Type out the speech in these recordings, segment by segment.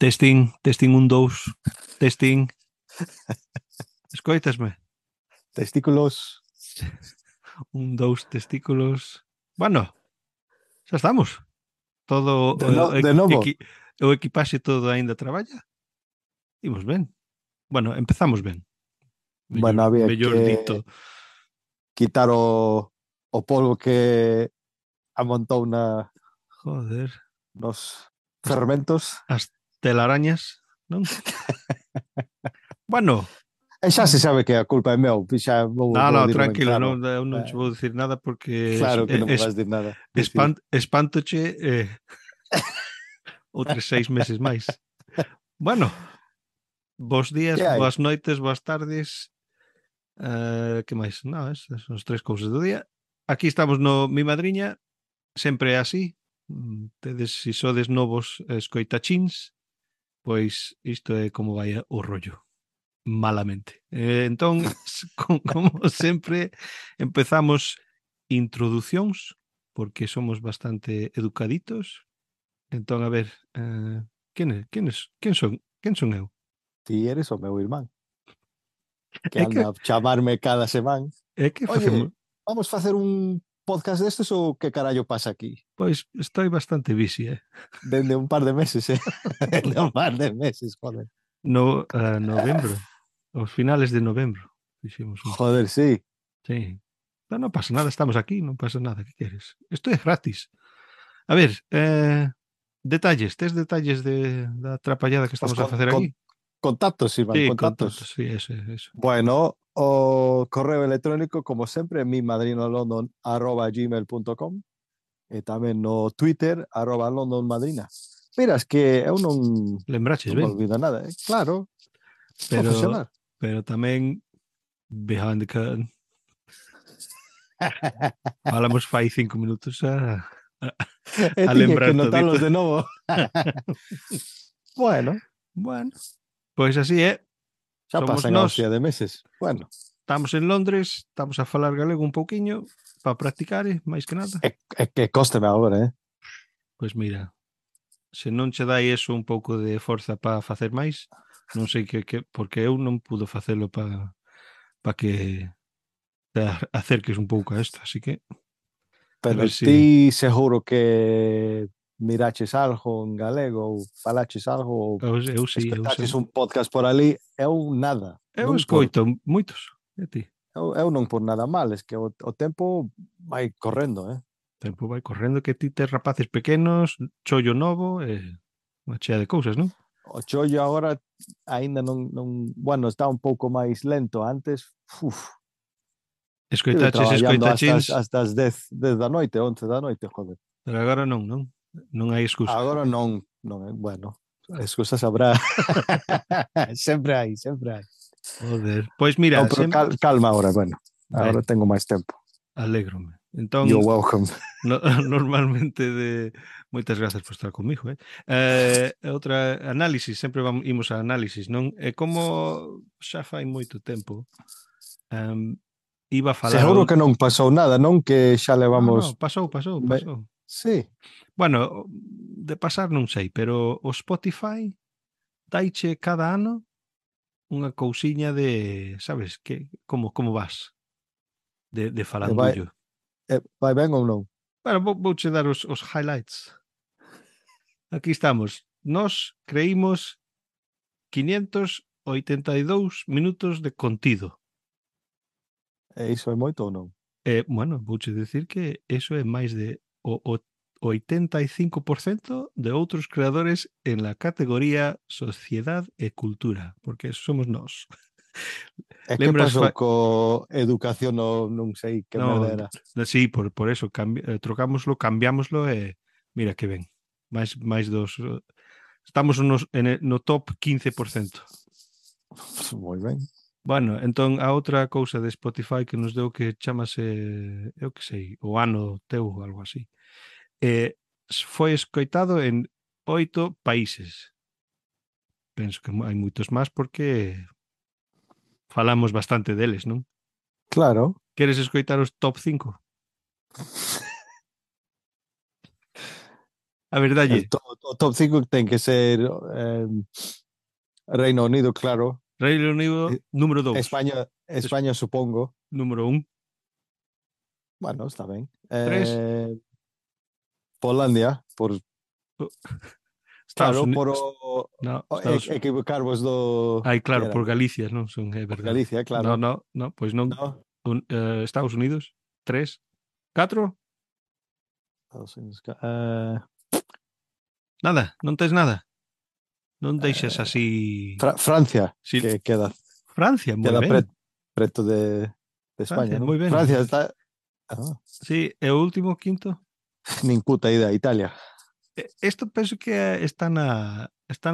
Testing, testing, un, dous, testing. Escoitasme? Testículos. Un, dous, testículos. Bueno, xa estamos. Todo De novo. o equipaxe todo aínda traballa. Imos ben. Bueno, empezamos ben. Bueno, había mellor que dito. quitar o polvo que amontou Joder. nos fermentos. As telarañas, non? Bueno. E xa se sabe que a culpa é meu. Xa vou dilo ben Tranquilo, claro. eu non te vou dicir nada porque Claro que non me vas dir nada. espantoche outros 6 meses máis. Bueno, bons días, boas noites, boas tardes. Que máis? Non, esas son as 3 cousas do día. Aquí estamos no Mi Madriña, sempre é así. Tedes, se sodes novos escoitachins, pois isto é como vai o rollo. Malamente. Entón, como sempre, empezamos introducións, porque somos bastante educaditos. Entón, a ver, quen son eu? Ti eres o meu irmán. É Que anda a chamarme cada semana. facemos? Vamos facer un podcast destes ou que carallo pasa aquí? Pois estou bastante busy, Dende un par de meses, Dende un par de meses, joder. Novembro. Aos finales de novembro. Joder, sí. Sí. Non pasa nada, estamos aquí, non pasa nada, que queres? Isto é gratis. A ver, detalles, tes detalles da trapallada que estamos a facer aquí? Contactos, Iván, Sí, contactos. Sí, eso. Bueno, o correo electrónico, como sempre, mimadrinolondon@gmail.com e tamén no Twitter, @londonmadrina. Mira, es que eu non Lembraches me ben. olvido nada, claro. Profesional. Pero tamén behind the curtain. Falamos fai 5 minutos a lembrar que notarlos todito. de novo. Bueno, pois así é. Xa Somos pasan a nós. hostia de meses. Bueno. Estamos en Londres, estamos a falar galego un pouquiño para practicar, máis que nada. Que cósteme agora, Pois mira, se non che dai eso un pouco de forza para facer máis, non sei porque eu non pudo facelo para que te acerques un pouco a isto, así que pero ti seguro que miraches algo en galego ou falaches algo ou escoitaches un podcast por ali, eu nada. Eu escoito moitos, e ti? Eu non por nada mal, es que o tempo vai correndo, O tempo vai correndo, que ti tes rapaces pequenos, chollo novo e unha chea de cousas, non? O chollo agora aínda non, bueno, está un pouco máis lento. Antes, escoitachins hasta as 10 da noite, 11 da noite, joder. Pero agora non hai excusa. Agora non, bueno, excusas habrá. sempre hai. Joder, pois mira, pero calma agora, bueno, agora tengo máis tempo. Alégrome. Entón, you're welcome. Normalmente moitas grazas por estar comigo, outra análisis, sempre imos a análisis, non? E como xa fai moito tempo, iba a falar... Seguro que non pasou nada, non? Que xa levamos... No, pasou. Sí. Bueno, de pasar non sei, pero o Spotify daiche cada ano unha cousiña de, sabes, que como vas de falandullo. Vai ben ou non? Bueno, vouche dar os highlights. Aquí estamos. Nós creímos 582 minutos de contido. E iso é moito ou non? Bueno, vouche dicir que eso é máis de o 85% de outros creadores en la categoría Sociedad e Cultura, porque eso somos nós. E que pasou co educación non sei que merda era? Sí, por eso trocámoslo, cambiámoslo e mira que ben. Máis dos... Estamos no top 15%. Moi ben. Bueno, entón a outra cousa de Spotify que nos deu que chamase, eu que sei, o ano teu ou algo así. Foi escoitado en 8 países. Penso que hai moitos máis porque falamos bastante deles, non? Claro. Queres escoitar os top 5? A verdade. O top 5 ten que ser Reino Unido, claro. Reino Unido, número 2. España, supongo. Número 1. Bueno, está ben. 3. Polandia, por... Estados Claro, Unidos. por No, equivocarvos do... Ai, claro, por Galicia, non son, é Por verdade. Galicia, claro. No, pois non. No. Estados Unidos, 3. 4. Estados Unidos. Nada, non tes nada. Non deixes así... Francia, sí. que queda... Francia, moi queda ben. preto de España, non? Moi ben. Francia está... Sí, e o último, quinto? Nin puta idea, Italia. Isto penso que están a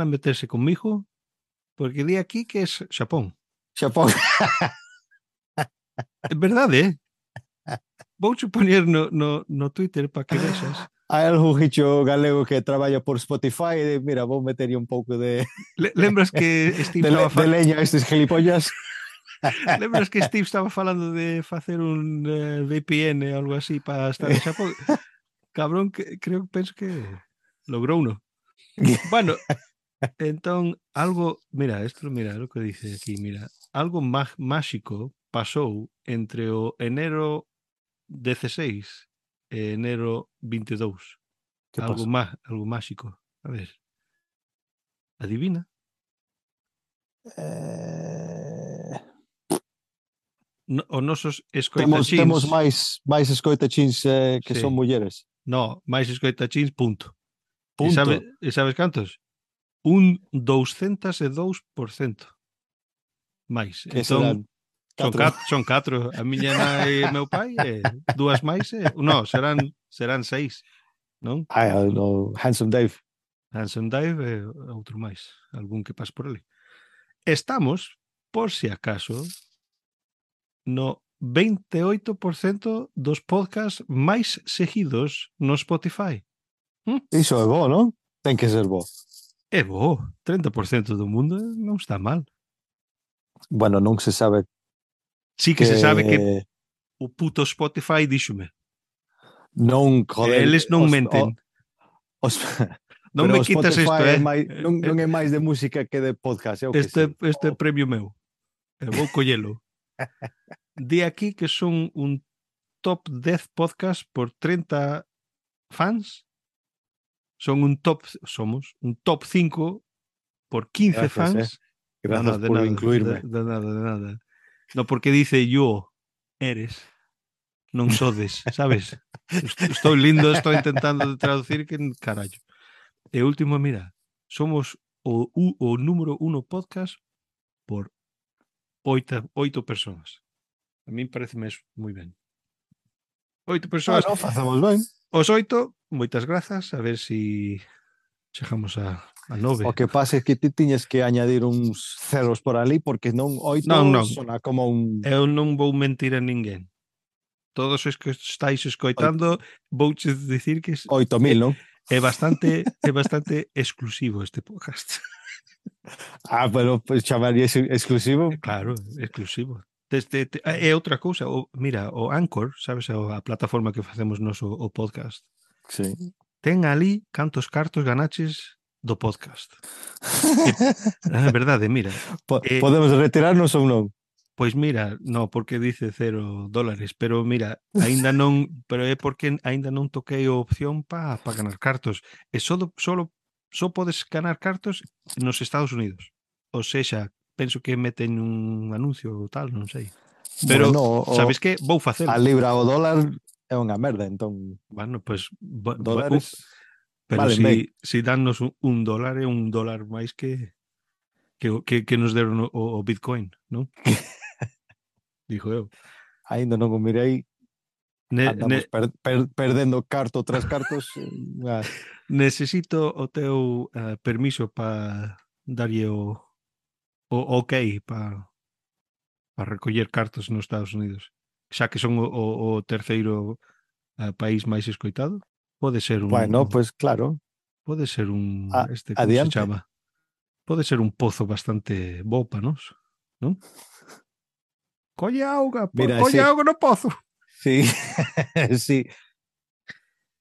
meterse conmigo, porque di aquí que é Xapón. Xapón. É verdade, Vouche poñer no Twitter para que vexas. Hai algún gicho galego que traballa por Spotify e mira, vou meter un pouco de... Lembras que Steve estaba de leña a estes gilipollas? Lembras que Steve estaba falando de facer un VPN ou algo así para estar en Xapón? Cabrón, penso que logrou uno. Bueno, entón, algo... Mira, lo que dice aquí, mira. Algo máxico pasou entre o enero 16 e enero 22. Algo máxico. A ver. Adivina. Os nosos escoitachins... Temos máis escoitachins que sí. Son mulleres. No, máis escoitachins, punto. E sabes cantos? Un 202%. Máis. Que entón, serán? Son 4. A miña nai e meu pai, dúas máis. No, serán 6, non? No, Handsome Dave. Handsome Dave e outro máis. Algún que pas por ali. Estamos, por si acaso, no 28% dos podcasts máis seguidos no Spotify. Iso é bo, non? Ten que ser bo. É bo. 30% do mundo non está mal. Bueno, non se sabe. Sí que se sabe que o puto Spotify díxome. Non, joder. Eles non menten. Non me quitas isto, non é máis de música que de podcast. Este é premio meu. Vou collelo. Di aquí que son un top 10 podcast por 30 fans. Somos un top 5 por 15 Gracias, fans. Gracias por incluirme. De nada. No, porque dice yo, eres, non sodes, sabes? Estou lindo, estou intentando traducir que carallo. E último, mira, somos o número 1 podcast por 8 personas. A mí pareceme moi ben. 8 persoas. No, facemos ben. Os 8, moitas grazas, a ver si chegamos a 9. O que pasa é que ti tiñes que añadir uns ceros por ali, porque non 8 non. Sona como un... Eu non vou mentir a ninguén. Todos os que estáis escoitando, vouche dicir que 8.000, non? É bastante exclusivo este podcast. Pero pues, chamarías exclusivo? Claro, exclusivo. É outra cousa. Mira, o Anchor, sabes, a plataforma que facemos noso o podcast. Sí. Ten ali cantos cartos ganaches do podcast. É verdade, mira. Podemos retirarnos ou non? Pois mira, no, porque dice $0, pero mira, aínda non, pero é porque aínda non toquei a opción para ganar cartos. E só podes ganar cartos nos Estados Unidos. Ou seja, penso que meten un anuncio ou tal, non sei. Pero, bueno, sabes que? Vou facelo. A libra o dólar é unha merda, entón... Bueno, pois... dólares... Pero vale, si dannos $1 é $1 máis que nos deron o Bitcoin, non? Dijo eu. Ainda non o mirei. Andamos perdendo carto tras cartos. Necesito o teu permiso para darlle o ok para recoller cartos nos Estados Unidos. Xa que son o terceiro país máis escoitado, pode ser un... Bueno, pues claro. Pode ser un... como adiante. se chama? Pode ser un pozo bastante bo para nós, non? Colle auga, colle auga no pozo. Sí, sí.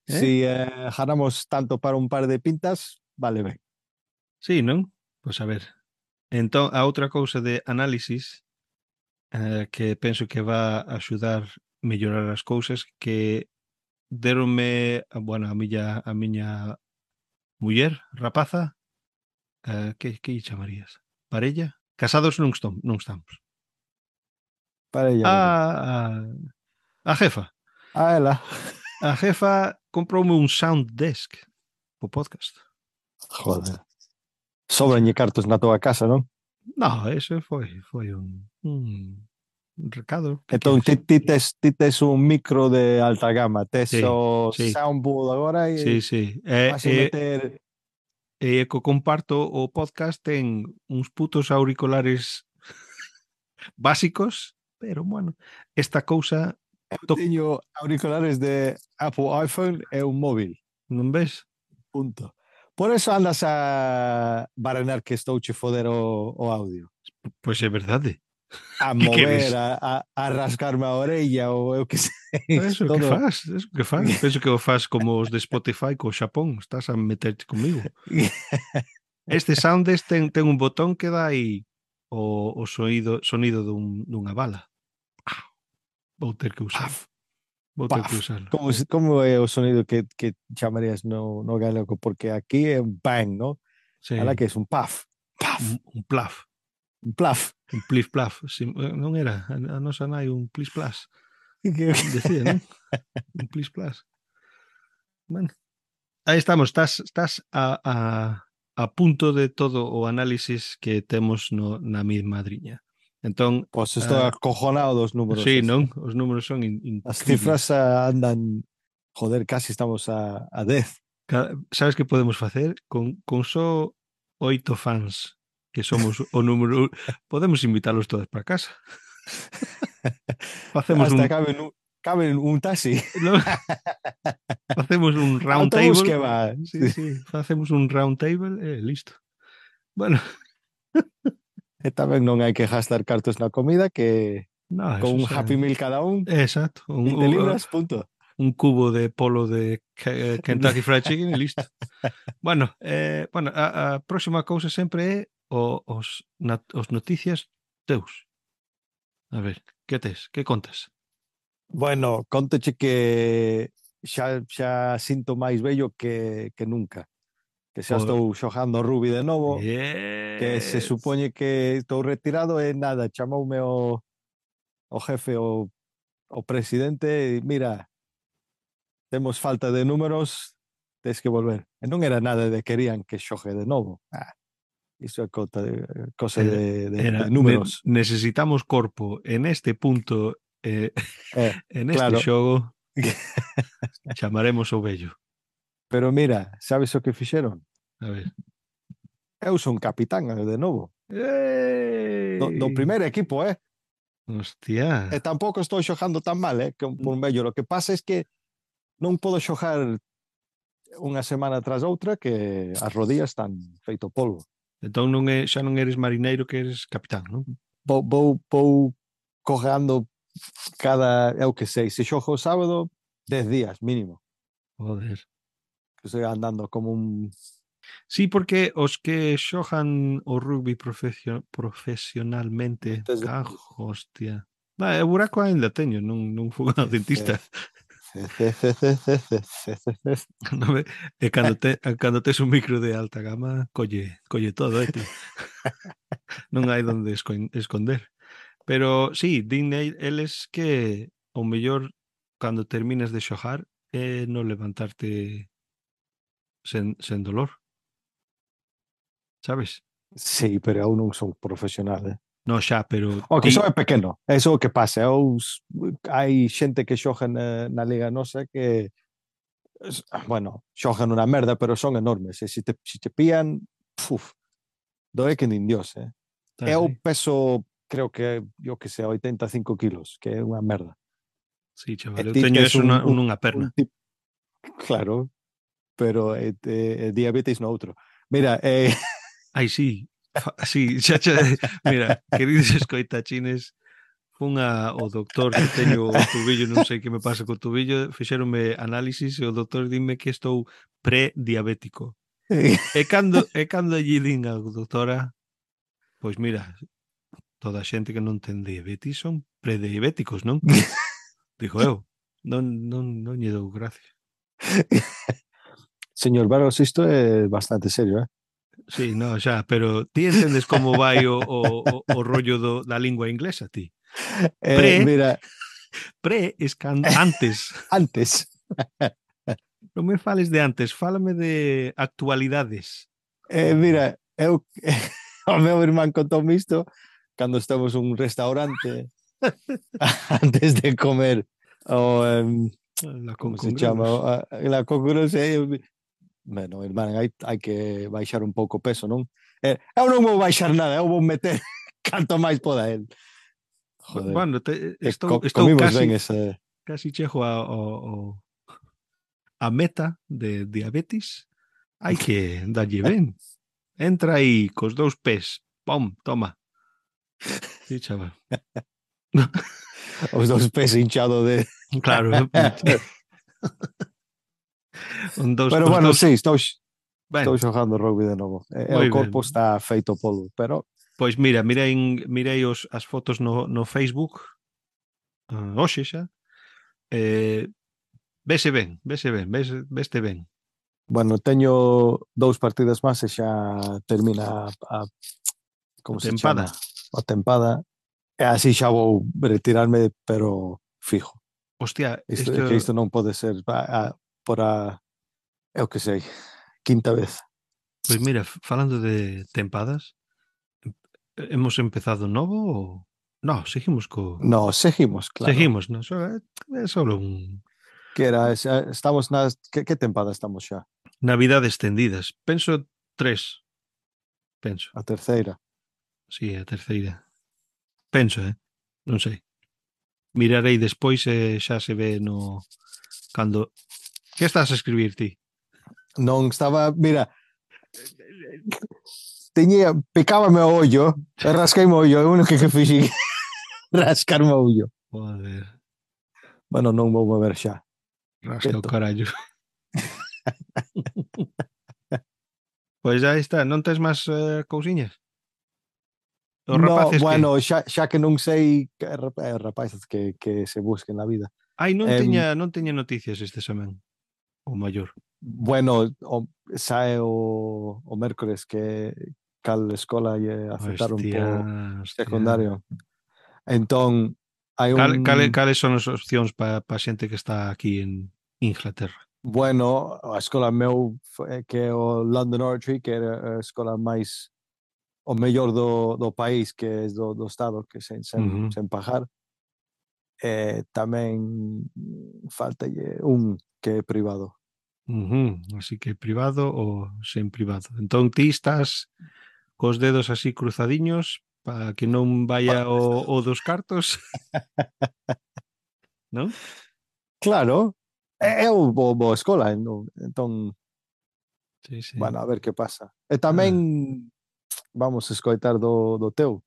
Si ganamos tanto para un par de pintas, vale ben. Sí, non? Pois a ver. Entón, a outra cousa de análisis que penso que va a axudar mellorar as cousas que deronme, bueno, a miña muller, rapaza, que lle chamarías? Parella? Casados non estamos. Parella, A jefa. ela. A jefa comproume un sound desk po podcast. Joder. Sobranlle cartos na tua casa, non? No, ese foi un recado. Que Entón, queres? ti tes un micro de alta gama, tes Sí, o sí, soundboard agora e sí. vas a meter... E co comparto o podcast ten uns putos auriculares básicos, pero bueno, esta cousa Eu teño auriculares de Apple iPhone e un móvil. non ves? Punto. Por eso andas a baranar que estou che foder o audio. Pois é verdade. A Que mover, queres? a rascarme a orella ou eu que sei. Eso que Todo. faz, eso que faz. Penso que o faz como os de Spotify co Xapón, estás a meterte comigo. Este Soundes ten un botón que dá aí o sonido dunha bala. Vou ter que usar. Paf, Vou ter que paf. usarlo. Como é o sonido que chamarías no galego? Porque aquí é un bang, ¿no? Sí. Ala que é un paf, paf. Un plaf. Un plaf. Un plis plaf. Non era a nosa nai un plis plas. Decía, non? Un plis plas. Bueno, aí estamos. Estás a punto de todo o análisis que temos na mesma madriña. Entón, Pois estou acojonado dos números. sí, non? Os números son increíbles. As cifras andan... Joder, casi estamos a 10. Sabes que podemos facer? Con só 8 fans que somos o número... Podemos invitarlos todos para casa. Facemos hasta caben un taxi. No? Facemos un round Autobús table. que va. Sí. Facemos un round table e listo. Bueno. E tamén non hai que gastar cartos na comida, que No, con un Happy Meal cada un, exacto. 20 libras, punto. Un cubo de polo de Kentucky Fried Chicken e listo. Bueno, a próxima cousa sempre é os noticias teus. A ver, que tes? Que contas? Bueno, conteche que xa sinto máis bello que nunca. Que xa estou xogando rugby de novo. Yes. Que se supoñe que estou retirado e nada, chamoume o jefe, o presidente, e mira, temos falta de números, tens que volver. E non era nada de querían que xogue de novo. Iso é cosa de números. Necesitamos corpo en este punto, en este xogo, chamaremos o vello. Pero mira, sabes o que fixeron? A ver. Eu son capitán de novo. Do primeiro equipo, Hostia. E tampouco estou xogando tan mal, que por vello. Lo que pasa é que non podo xogar unha semana tras outra, que as rodillas están feito polvo. Entón xa non eres marineiro, que eres capitán, non? Vou cogando cada, eu que sei, se xogo o sábado, 10 días mínimo. Joder. Que estou andando como un... Sí, porque os que xogan o rugby profesionalmente, hostia. O buraco ainda teño, non fui ao dentista. E cando tes un micro de alta gama, colle todo, tío. Non hai donde esconder. Pero sí, din eles que o mellor cando terminas de xogar é non levantarte sen dolor. Sabes? Sí, pero eu non son profesional, No, xa, pero... O que son é pequeno, é o que pasa. Hai xente que xoga na liga nosa que, bueno, xogan unha merda, pero son enormes. E se te pillan, doe que nin Dios, Eu peso, creo que, yo que sei, 85 kilos, que é unha merda. Sí, chaval, eu teño eso nunha perna. Claro, pero diabetes no outro. Mira, Ai, sí, sí, xa, mira, queridos escoitachines, fun ao doctor que teño o tubillo, non sei que me pasa co tubillo, fixéronme análisis e o doctor dime que estou prediabético. E cando lle din a doutora, pois mira, toda a xente que non ten diabetes son prediabéticos, non? Digo eu, non lle dou gracia. Señor Vargas, isto é bastante serio, eh? Sí, no, xa, pero ti entendes como vai o rollo da lingua inglesa, ti? Mira, Pre es antes. antes, Non me fales de antes, fálame de actualidades. mira, o meu irmán contou-me isto cando estamos un restaurante antes de comer o La como con se chama? congrelos. La congruencia. Bueno, irmán, hai que baixar un pouco o peso, non? Eu non vou baixar nada, eu vou meter canto máis poda el. Joder, Bueno, que estou comimos ben casi chego a meta de diabetes. Hai que darlle ben. Entra aí cos 2 pés. Pom, toma. Sí, chaval. os dous pés hinchado de... Claro. Pero Os bueno, dous. sí, estou Ben, xogando rugby de novo. O moi corpo ben. está feito polvo, pero... Pois mira, mirei as fotos no Facebook hoxe xa. Vese ben, veste ben. Bueno, teño 2 partidas máis e xa termina A como se chama? tempada. A tempada. E así xa vou retirarme, pero fijo. Hostia, É que isto non pode ser por eu que sei, quinta vez. pois mira, falando de tempadas, hemos empezado novo ou... No, seguimos No, seguimos, claro. Seguimos, no? É solo un... Que era, estamos nas... Que tempada estamos xa? Navidades extendidas. Penso 3. Penso. A terceira. Sí, a terceira. Penso, non sei. Mirarei despois e xa se ve no... Cando... Que estás a escribir ti? Non estaba, mira, picábame o ollo, e rasqueime o ollo, é o único que fixi rascarme o ollo. Joder, Bueno, non vou mover xa. rasca o carallo. Pois aí está, non tes máis cousiñas? Os No, rapaces que... bueno, xa que non sei que rapaces que se busquen na vida. Ai, Em, non teña noticias este semana. O maior. bueno, sae o mércores que cal escola lle aceptaron po Hostia. secundario. Entón, hai Cales son as opcións para xente que está aquí en Inglaterra? bueno, a escola meu que é o London Oratory, que era a escola máis o mellor do país, que é do estado, que sen pagar. Tamén faltalle un que é privado. Así que privado ou sen privado. Entón ti estás cos dedos así cruzadiños para que non vaya o dos cartos, non? Claro, eu vou a escola, entón, Sí, sí. bueno, a ver que pasa. E Ah, tamén vamos a escoitar do teu,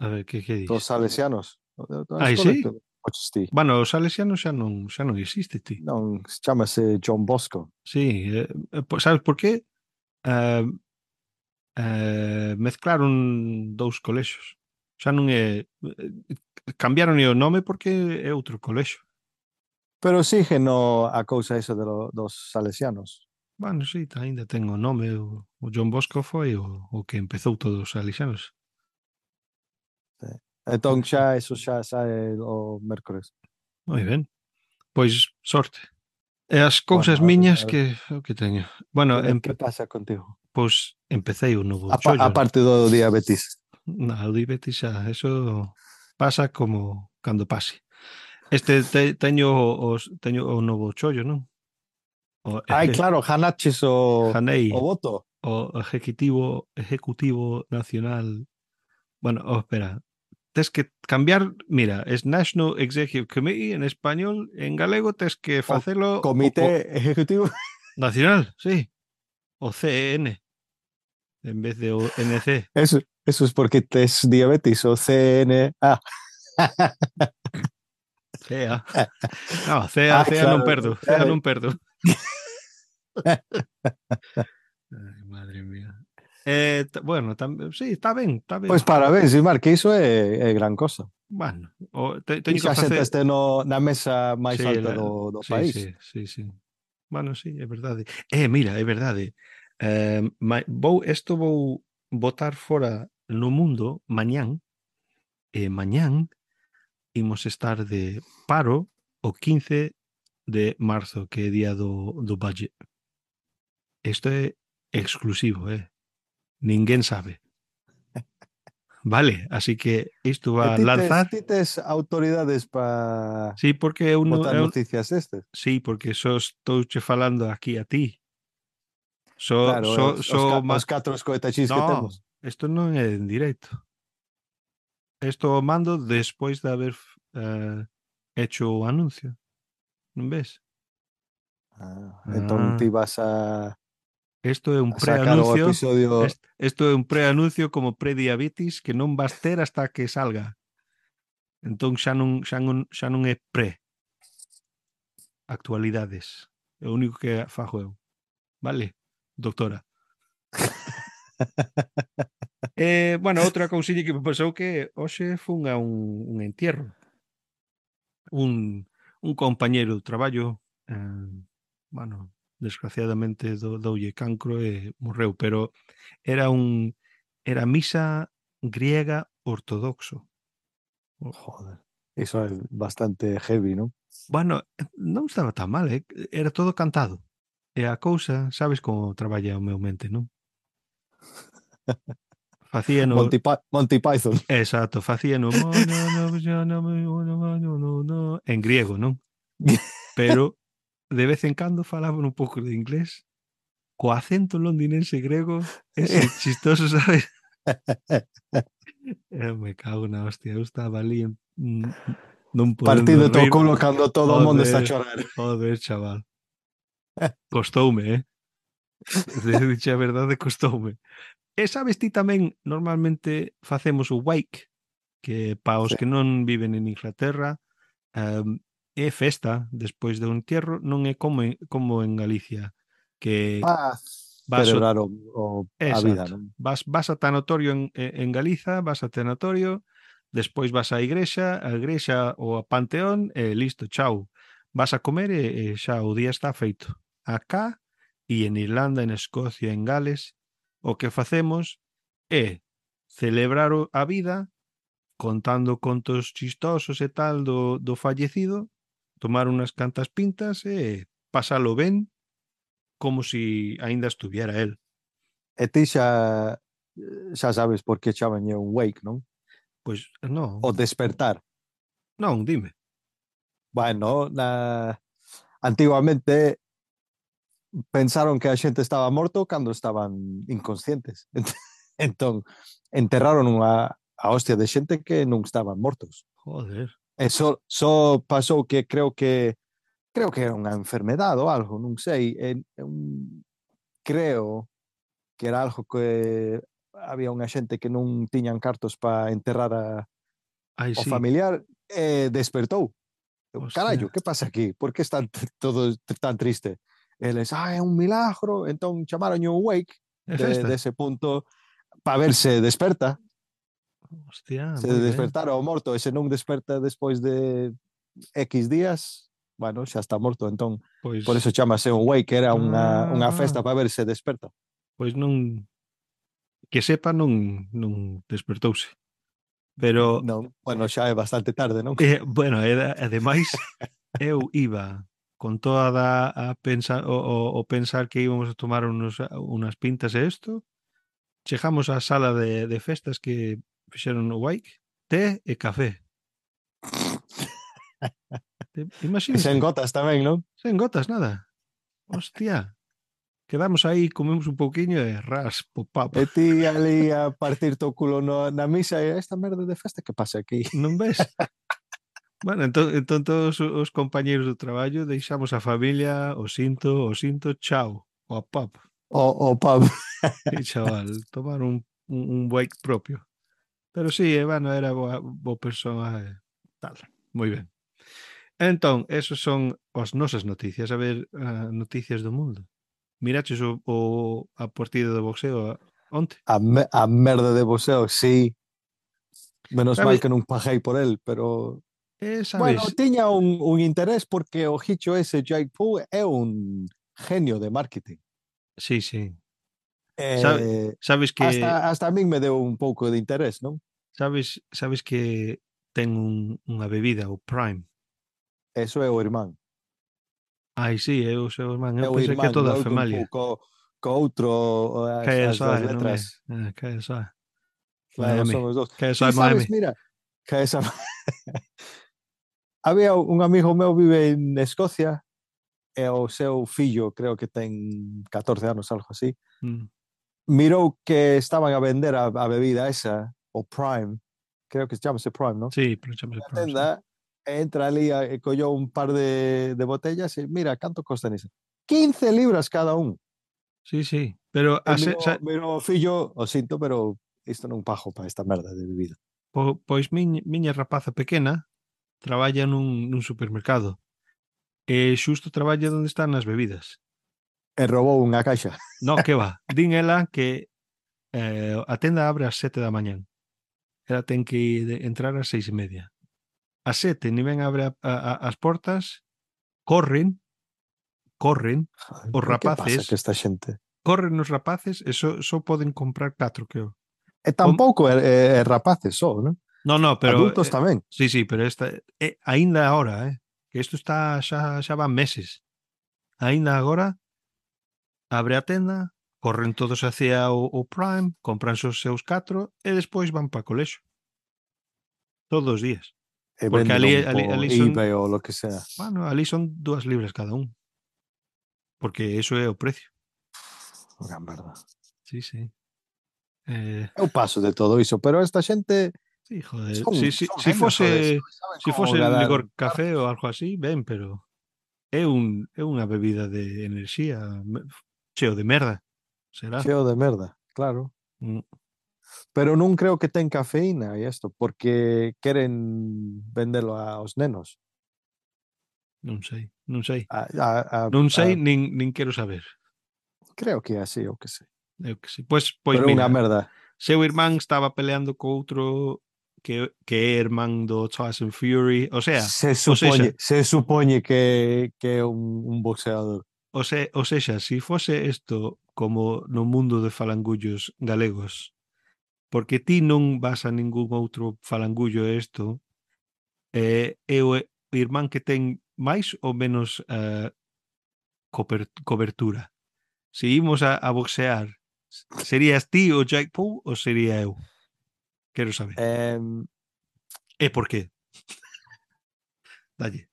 a ver, que dos dis? salesianos. A Ai, escola sí? que coches ti. Bueno, os salesianos xa non existe, ti. Non, chámase John Bosco. Sí, sabes por qué? Ah, mezclaron dous colexios. Xa non é... Cambiaron o nome porque é outro colexio. Pero sigue no a cousa esa dos salesianos. Bueno, sí, ainda ten o nome. O John Bosco foi o que empezou todos os salesianos. Sí. Entón eso xa sae o mércores. Moi ben. Pois sorte. E as cousas Bueno, miñas que o que teño. Bueno, que pasa contigo? pois empecéi o novo chollo. Aparte do diabetes. Na, o diabetes xa, eso pasa como cando pase. Teño o novo chollo, non? O Ai, claro, Hanaches o Janei, voto. o Ejecutivo Nacional. Bueno, espera. Tes que cambiar, mira, es National Executive Committee en español, en galego tes que O facelo Comité Ejecutivo. nacional, sí, o CEN, en vez de o NC. Eso es porque tes diabetes o CNA. Cea. No, cea non claro. perdo. Cea non perdo. Ai, madre mía. Bueno, sí, está ben, está ben. Pois parabéns, Imar, que iso é gran cosa. Bueno, Ti teño que xa facer... xentaste na mesa máis Sí, alta do sí, país. sí, sí, sí. Bueno, sí, é verdade. Mira, é verdade. Vou botar fora no mundo mañán, e mañán imos estar de paro o 15 de marzo, que é día do budget. Isto é exclusivo, ninguén sabe. Vale, así que isto E va a lanzar. ti tes autoridades para Sí, porque botar noticias estes? sí, porque só estou che falando aquí a ti. So, Claro, so, so, os catro escoetachís que no, temos. isto non é en directo. Isto o mando despois de haber hecho o anuncio. Non ves? Entón ti Ah, vas isto é un a sacar o preanuncio. episodio. Isto é un preanuncio como prediabetes que non vas ter hasta que salga. Entón xa non é actualidades. É o único que fago eu. Vale, doctora? Bueno, outra cousiña que me pasou que hoxe fun a un entierro. Un compañeiro do traballo, bueno, desgraciadamente doulle cancro e morreu, pero era misa griega ortodoxo. Joder, iso é bastante heavy, non? Bueno, non estaba tan mal, era todo cantado. E a cousa, sabes como traballa o meu mente, non? Facíano, Monty Python. exacto, facíano en griego, non? Pero de vez en cando falaban un pouco de inglés co acento londinense grego, ese chistoso, sabes? Me cago na hostia, eu estaba ali non podendo Partido rir. tocoulo cando todo o mundo está a Joder, chorar. joder, chaval. Costoume, de diche a verdade, costoume. E sabes ti tamén, normalmente facemos o wake, que pa os Sí. que non viven en Inglaterra, é festa despois do entierro, non é como en Galicia, que Para vas o... celebrar a vida, Exacto. non? Vas a tanatorio en Galiza, vas a tanatorio, despois vas á igrexa ou a Panteón e listo, chao. Vas a comer e xa o día está feito. Acá e en Irlanda, en Escocia, en Gales, o que facemos é celebrar a vida contando contos chistosos e tal do fallecido, tomar unhas cantas pintas e pasalo ben como si aínda estuviera él. E ti xa sabes por que chaman un wake, non? Pois non, O despertar. non, dime. Bueno, antiguamente pensaron que a xente estaba morto cando estaban inconscientes. Entón, enterraron a hostia de xente que non estaban mortos. Joder. E só pasou que creo que era unha enfermedade ou algo, non sei. Creo que era algo que había unha xente que non tiñan cartos para enterrar Ai, o sí. familiar e despertou. Carallo, Hostia. que pasa aquí? Por que están todos tan triste? Eles, é un milagro, entón chamaron un wake É festa? dese punto para ver se desperta, Hostia, se moi ben. despertara o morto e se non desperta despois de X días, bueno, xa está morto, entón por Pois eso chamase un wake, era unha ah, festa para ver se desperta. pois non, que sepa, non despertouse. Pero Non, bueno, xa é bastante tarde, non? bueno, ademais eu iba con toda a pensar o pensar que íbamos a tomar unas pintas e isto, chegamos á sala de festas que fixeron o wake, té e café. E sen Imagínate, gotas tamén, non? sen gotas, nada. Hostia, quedamos aí, comemos un pouquiño e ras, pop-up. E ti ali a partir o culo na misa e esta merda de festa que pasa aquí? Non ves? Bueno, entón todos os compañeiros do traballo deixamos a familia, o sinto, chao, o pop. O pub. E chaval, tomar un break propio. Pero sí, bueno, era boa persoa. Tal. Moi ben. Entón, esos son as nosas noticias. A ver, noticias do mundo. Miraches a partida de boxeo onte? A merda de boxeo, sí. Menos mal Sabe, que non paguei por él, pero... Bueno, sabes, tiña un interés porque o Hicho ese Jake Paul é un genio de marketing. sí, sí. Eh, Sabes que hasta a min me deu un pouco de interés, non? sabes que ten unha bebida, o Prime. Eso é o irmán. Ai, sí, é o seu irmán. Eu É o pensei que irmán toda a Logan familia. Paul co outro, as KSI, das non é? letras. KSI. Claro, Miami. son os dous. KSI Ti Miami. sabes, mira, que esa... Había un amigo meu vive en Escocia e o seu fillo, creo que ten 14 anos, algo así, Mm. mirou que estaban a vender a bebida esa, o Prime, creo que se chama Prime, ¿no? Sí, pero chamase Na Prime, sí. tenda, entra ali e collou un par de botellas e mira, canto costan iso? 15 libras cada un. Sí, sí. Pero E miro o fillo, o sinto, pero isto non pago para esta merda de bebida. pois miña rapaza pequena traballa nun supermercado. E xusto traballa onde están as bebidas. E roubou unha caixa. No, que va. Din ela que a tenda abre ás 7 da mañán. Ela ten que entrar ás 6:30. Ás 7 ni ben abre as portas, corren, os Pero que pasa que rapaces, esta xente? corren os rapaces e só poden comprar 4, creo. E tampouco é rapaces só, non? No, no, pero Adultos tamén. sí, sí, pero esta aínda agora, que isto está xa van meses. Aínda agora abre a tenda, corren todos hacia o Prime, compran os seus 4 e despois van para colexo. Todos os días. E Porque véndeno por ali son, eBay ou lo que sea. bueno, ali son 2 libras cada un. Porque eso é o precio. Unha merda. Sí, sí. Eu paso de todo iso, pero esta xente Sí, joder. son, Si son genios, joder, saben si como fose ganar licor café ou cartos. algo así, ben, pero é unha bebida de enerxía cheo de merda. Será? Cheo de merda, claro. Mm, Pero non creo que ten cafeína e isto, porque queren vendelo aos nenos. non sei, non sei. A, a, Non sei, a, nin quero saber. creo que é así, o que sei. Eu que sei. Pois Pero unha mira, merda. seu irmán estaba peleando co outro que é irmán do Tyson Fury, Se supoñe que é un boxeador. o sexa, si fose isto como no mundo de falangullos galegos, porque ti non vas a ningún outro falangullo isto, é o irmán que ten máis ou menos cobertura. Se imos a boxear, serías ti o Jake Paul ou sería eu? Quero saber. Eh, E por qué? Dalle.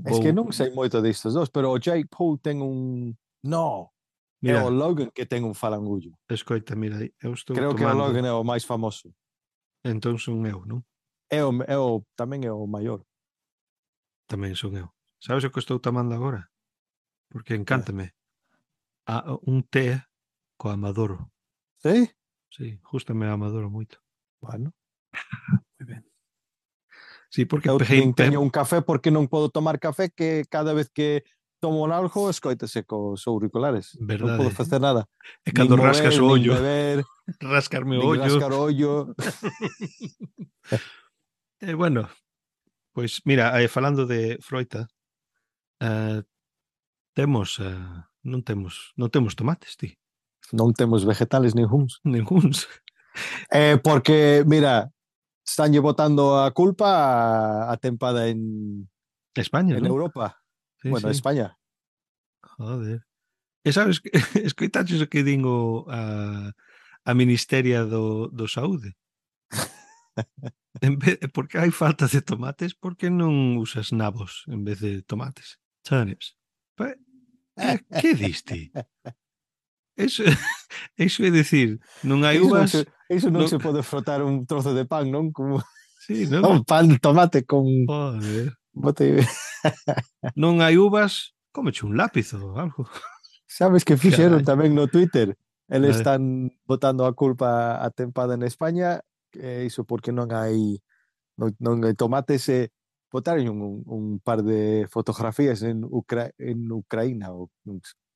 es que Vou non sei moito destes dos, pero o Jake Paul ten un... No, é o mira, Logan que ten un falangullo. escoita, mira, eu estou Creo que o tomando, Logan é o máis famoso. entón son eu, non? Tamén é o maior. Tamén son eu. Sabes o que estou tomando agora? Porque encántame. Un té co amadoro. Sí? Sí, justame a amadoro moito. Bueno. Moi ben. Sí, porque Eu peguei, nin teño un café porque non podo tomar café que cada vez que tomo algo escoitase cos auriculares. Non podo verdade. facer nada. É Nin cando rascas mover, o nin ollo, beber, rascarme o nin ollo. rascar o ollo. Bueno, pois mira, falando de froita, eh, temos, non temos tomates, ti. Non temos vegetales ninguns. Ninguns. Porque, mira, estanlle botando a culpa a tempada España, en non? Europa. Sí, Bueno, sí. España. Joder. E sabes que escoitaches o que din a Ministeria do Saúde? Porque hai falta de tomates, por que non usas nabos en vez de tomates? Turnips. Que diste? Eso, eso é dicir, non hai uvas, Iso non non, se pode frotar un trozo de pan, non? Como sí, non? un pan de tomate con Joder. bote. Non hai uvas, cómeche un lápiz ou algo. Sabes que fixeron Carallo. tamén no Twitter? Eles Eh, están botando a culpa a tempada en España, que iso porque non hai Non hai tomates botaron un par de fotografías en Ucraína, ou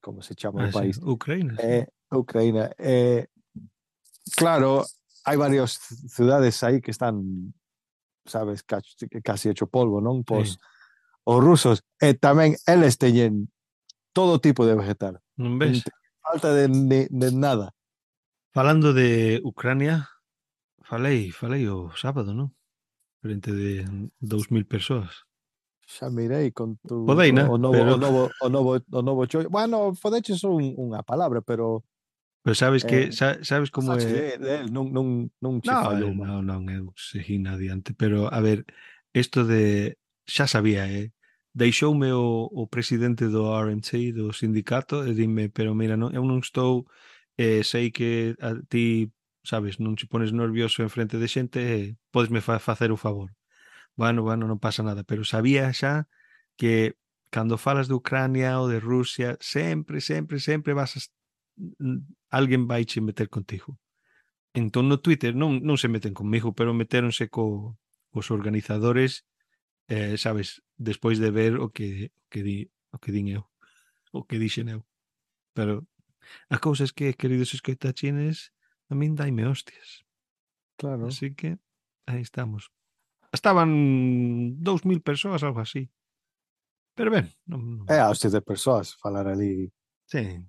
como se chama o Sí, país. Ucrania, sí. Ucraína. Claro, hai varias ciudades aí que están, sabes, casi hecho polvo, non? Sí. Os rusos, e tamén eles teñen todo tipo de vegetal. Non Non ves? teñen falta de nada. Falando de Ucrania, falei o sábado, non? Frente de 2000 persoas. Xa mirei con Podeina, pero o novo chollo. Bueno, fodeches unha palabra, pero sabes eh, que sabes como pasache é. de él, non che No, fallou mal. non, eu seguín adiante, pero a ver, isto de xa sabía, deixoume o presidente do RNC, do sindicato, e dime, pero mira, non, eu non estou, sei que a ti, sabes, non te pones nervioso en frente de xente, podesme facer o favor. Bueno, non pasa nada, pero sabía xa que cando falas de Ucrania ou de Rusia, sempre vas a, alguén vai che meter contigo. Entón no Twitter non se meten comigo, pero metéronse cos organizadores, sabes, despois de ver o que din eu, o que dixen eu. Pero a cousa é que, queridos escoitachines, a min daime hostias. Claro. Así que aí estamos. Estaban 2000 persoas, algo así. Pero ben, É a hostia de persoas falar ali. sí.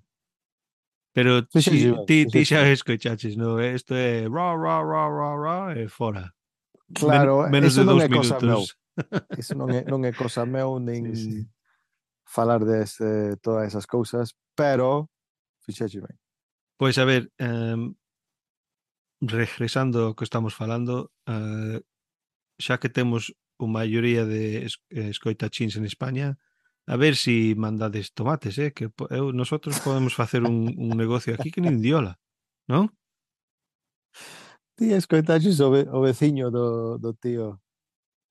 Pero Fixeche si ben, ti fixeche xa ben. escoichaches, no? Isto é e fora. Claro, Menos eso de non 2 é cosa meu. minutos. Eso non é cosa meu, Sí, sí. nin falar todas esas cousas, pero fixeche ben. Pois a ver, regresando ao que estamos falando, xa que temos a maioría de escoitachins en España, a ver si mandades tomates, que nosotros podemos facer un negocio aquí que nin diola, non? Ti escoitaches o veciño do tío,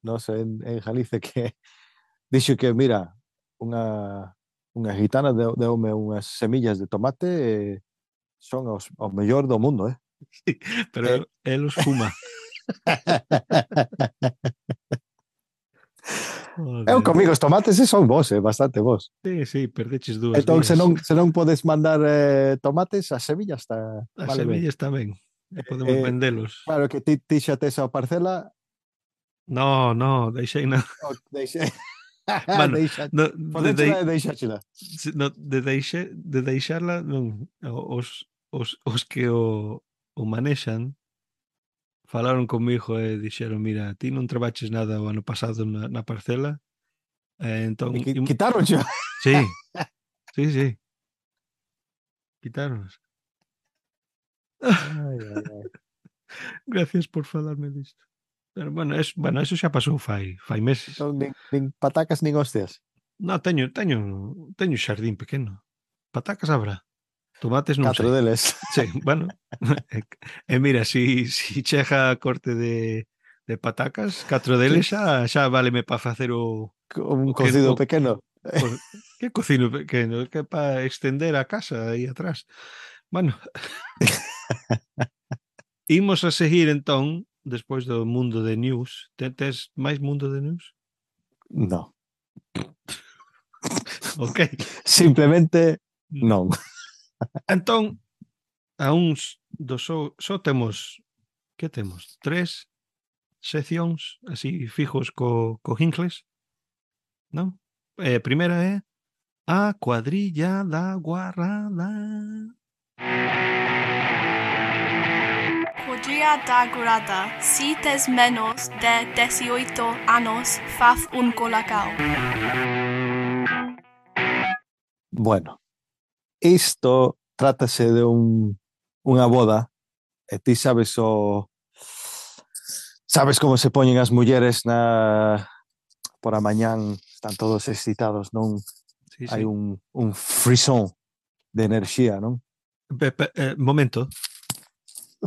non sei, en Galicia, que dixo que, mira, unha gitana deume unhas semillas de tomate e son o mellor do mundo, eh? Sí, pero Eh, el os fuma. Eu Joder. comigo os tomates son vos, bastante vos. Sí, perdeches 2 Entón, días. se non podes mandar tomates, as semillas As vale ben. semillas tamén, podemos vendelos. Claro que ti xa tes a parcela, No, deixei na. deixe, Bueno, deixa, no, podéchela e deixáchela. no, de deixarla, non, os que o manexan falaron comigo e dixeron, mira, ti non trabaches nada o ano pasado na parcela, E entón, quitaron xa. sí, sí, quitaronos. Ai, ai, ai. Gracias por falarme disto. Pero bueno, eso xa pasou fai meses. Entón, nin patacas nin hostias. No, teño xardín pequeno. Patacas habrá. Tomates non 4 sei. deles. Sí, bueno. Mira, si chega a corte de patacas, 4 Sí, deles xa váleme para facer un o que cocido pequeno. que cocino pequeno, que para extender a casa aí atrás. Bueno, imos a seguir entón despois do mundo de news. Tes máis mundo de news? No. Ok. Simplemente non. Entón, a uns dos só temos, que temos? 3 seccións así fijos co Hincles, non? Primeira é a cuadrilla da guarrada. Cuadrilla da Guarrada. Si tes menos de 18 anos, faz un colacao. Bueno, isto trátase de unha boda e ti sabes como se poñen as mulleres por a mañán, están todos excitados, non? Sí, Hai sí. un frisón de enerxía, non? Momento.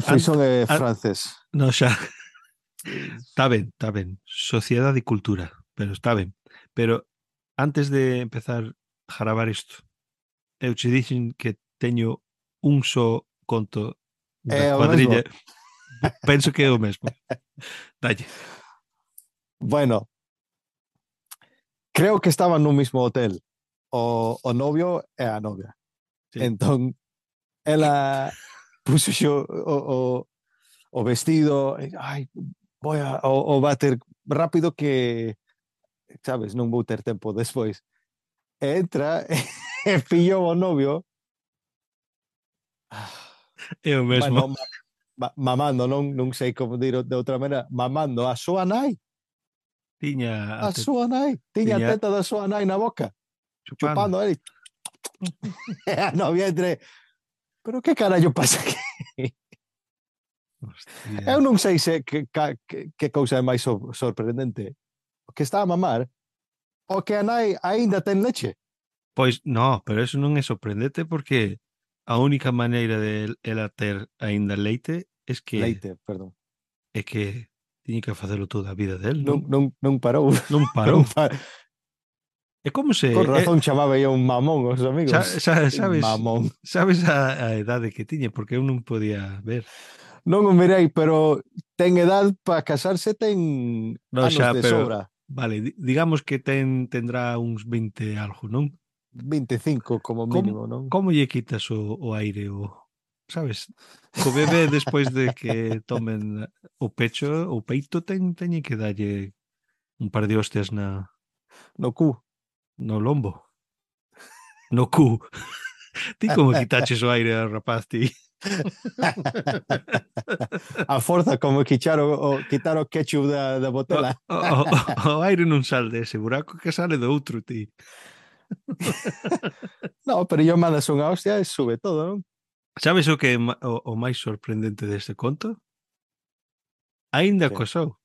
Frisón é an- francés. No, xa. Está ben. Sociedade e cultura, pero está ben. Pero antes de empezar a gravar isto, eu che dixen que teño un só conto da É o mesmo. cuadrilla. Penso que é o mesmo. Dalle. Bueno, creo que estaban no mismo hotel o novio e a novia. Sí. Entón, ela puxo xo o vestido, ai, o váter rápido que, sabes, non vou ter tempo despois. E entra e pillou o novio, É o mesmo. bueno, mamando, non sei como dir de outra maneira, mamando a súa nai, Tiña a súa nai, tiña a tiña teta da súa nai na boca, chupando. chupando ele, e a novia entre, pero que carallo pasa aquí? Eu Hostia. non sei se que cousa é máis sorprendente, o que está a mamar, o que a nai aínda ten leche. Pois, no, pero eso non é sorprendente porque a única maneira de ela ter aínda leite Leite, perdón. é que tiña que facelo toda a vida del, Non, non? non, non parou. Non Non parou. pa... É como se Con razón chamaba eu un mamón aos amigos. Mamón. sabes a edade que tiña porque eu non podía ver. Non o mirei, pero ten edad para casarse, ten No, anos xa, de pero sobra. vale, digamos que tendrá uns 20 algo, non? 25 como Como, mínimo, non? como lle quitas o aire sabes? Co bebé despois de que tomen o pecho, o peito teñe que dalle un par de hostias No cu. no lombo, no cu. Ti como quitaches o aire ao rapaz, ti? A forza como quitar o ketchup da O, botella. o aire non sale dese buraco que sale do outro, ti. No, pero yo mandas unha hostia e sube todo, non? Sabes o que é o máis sorprendente deste conto? Aínda Que? cosou.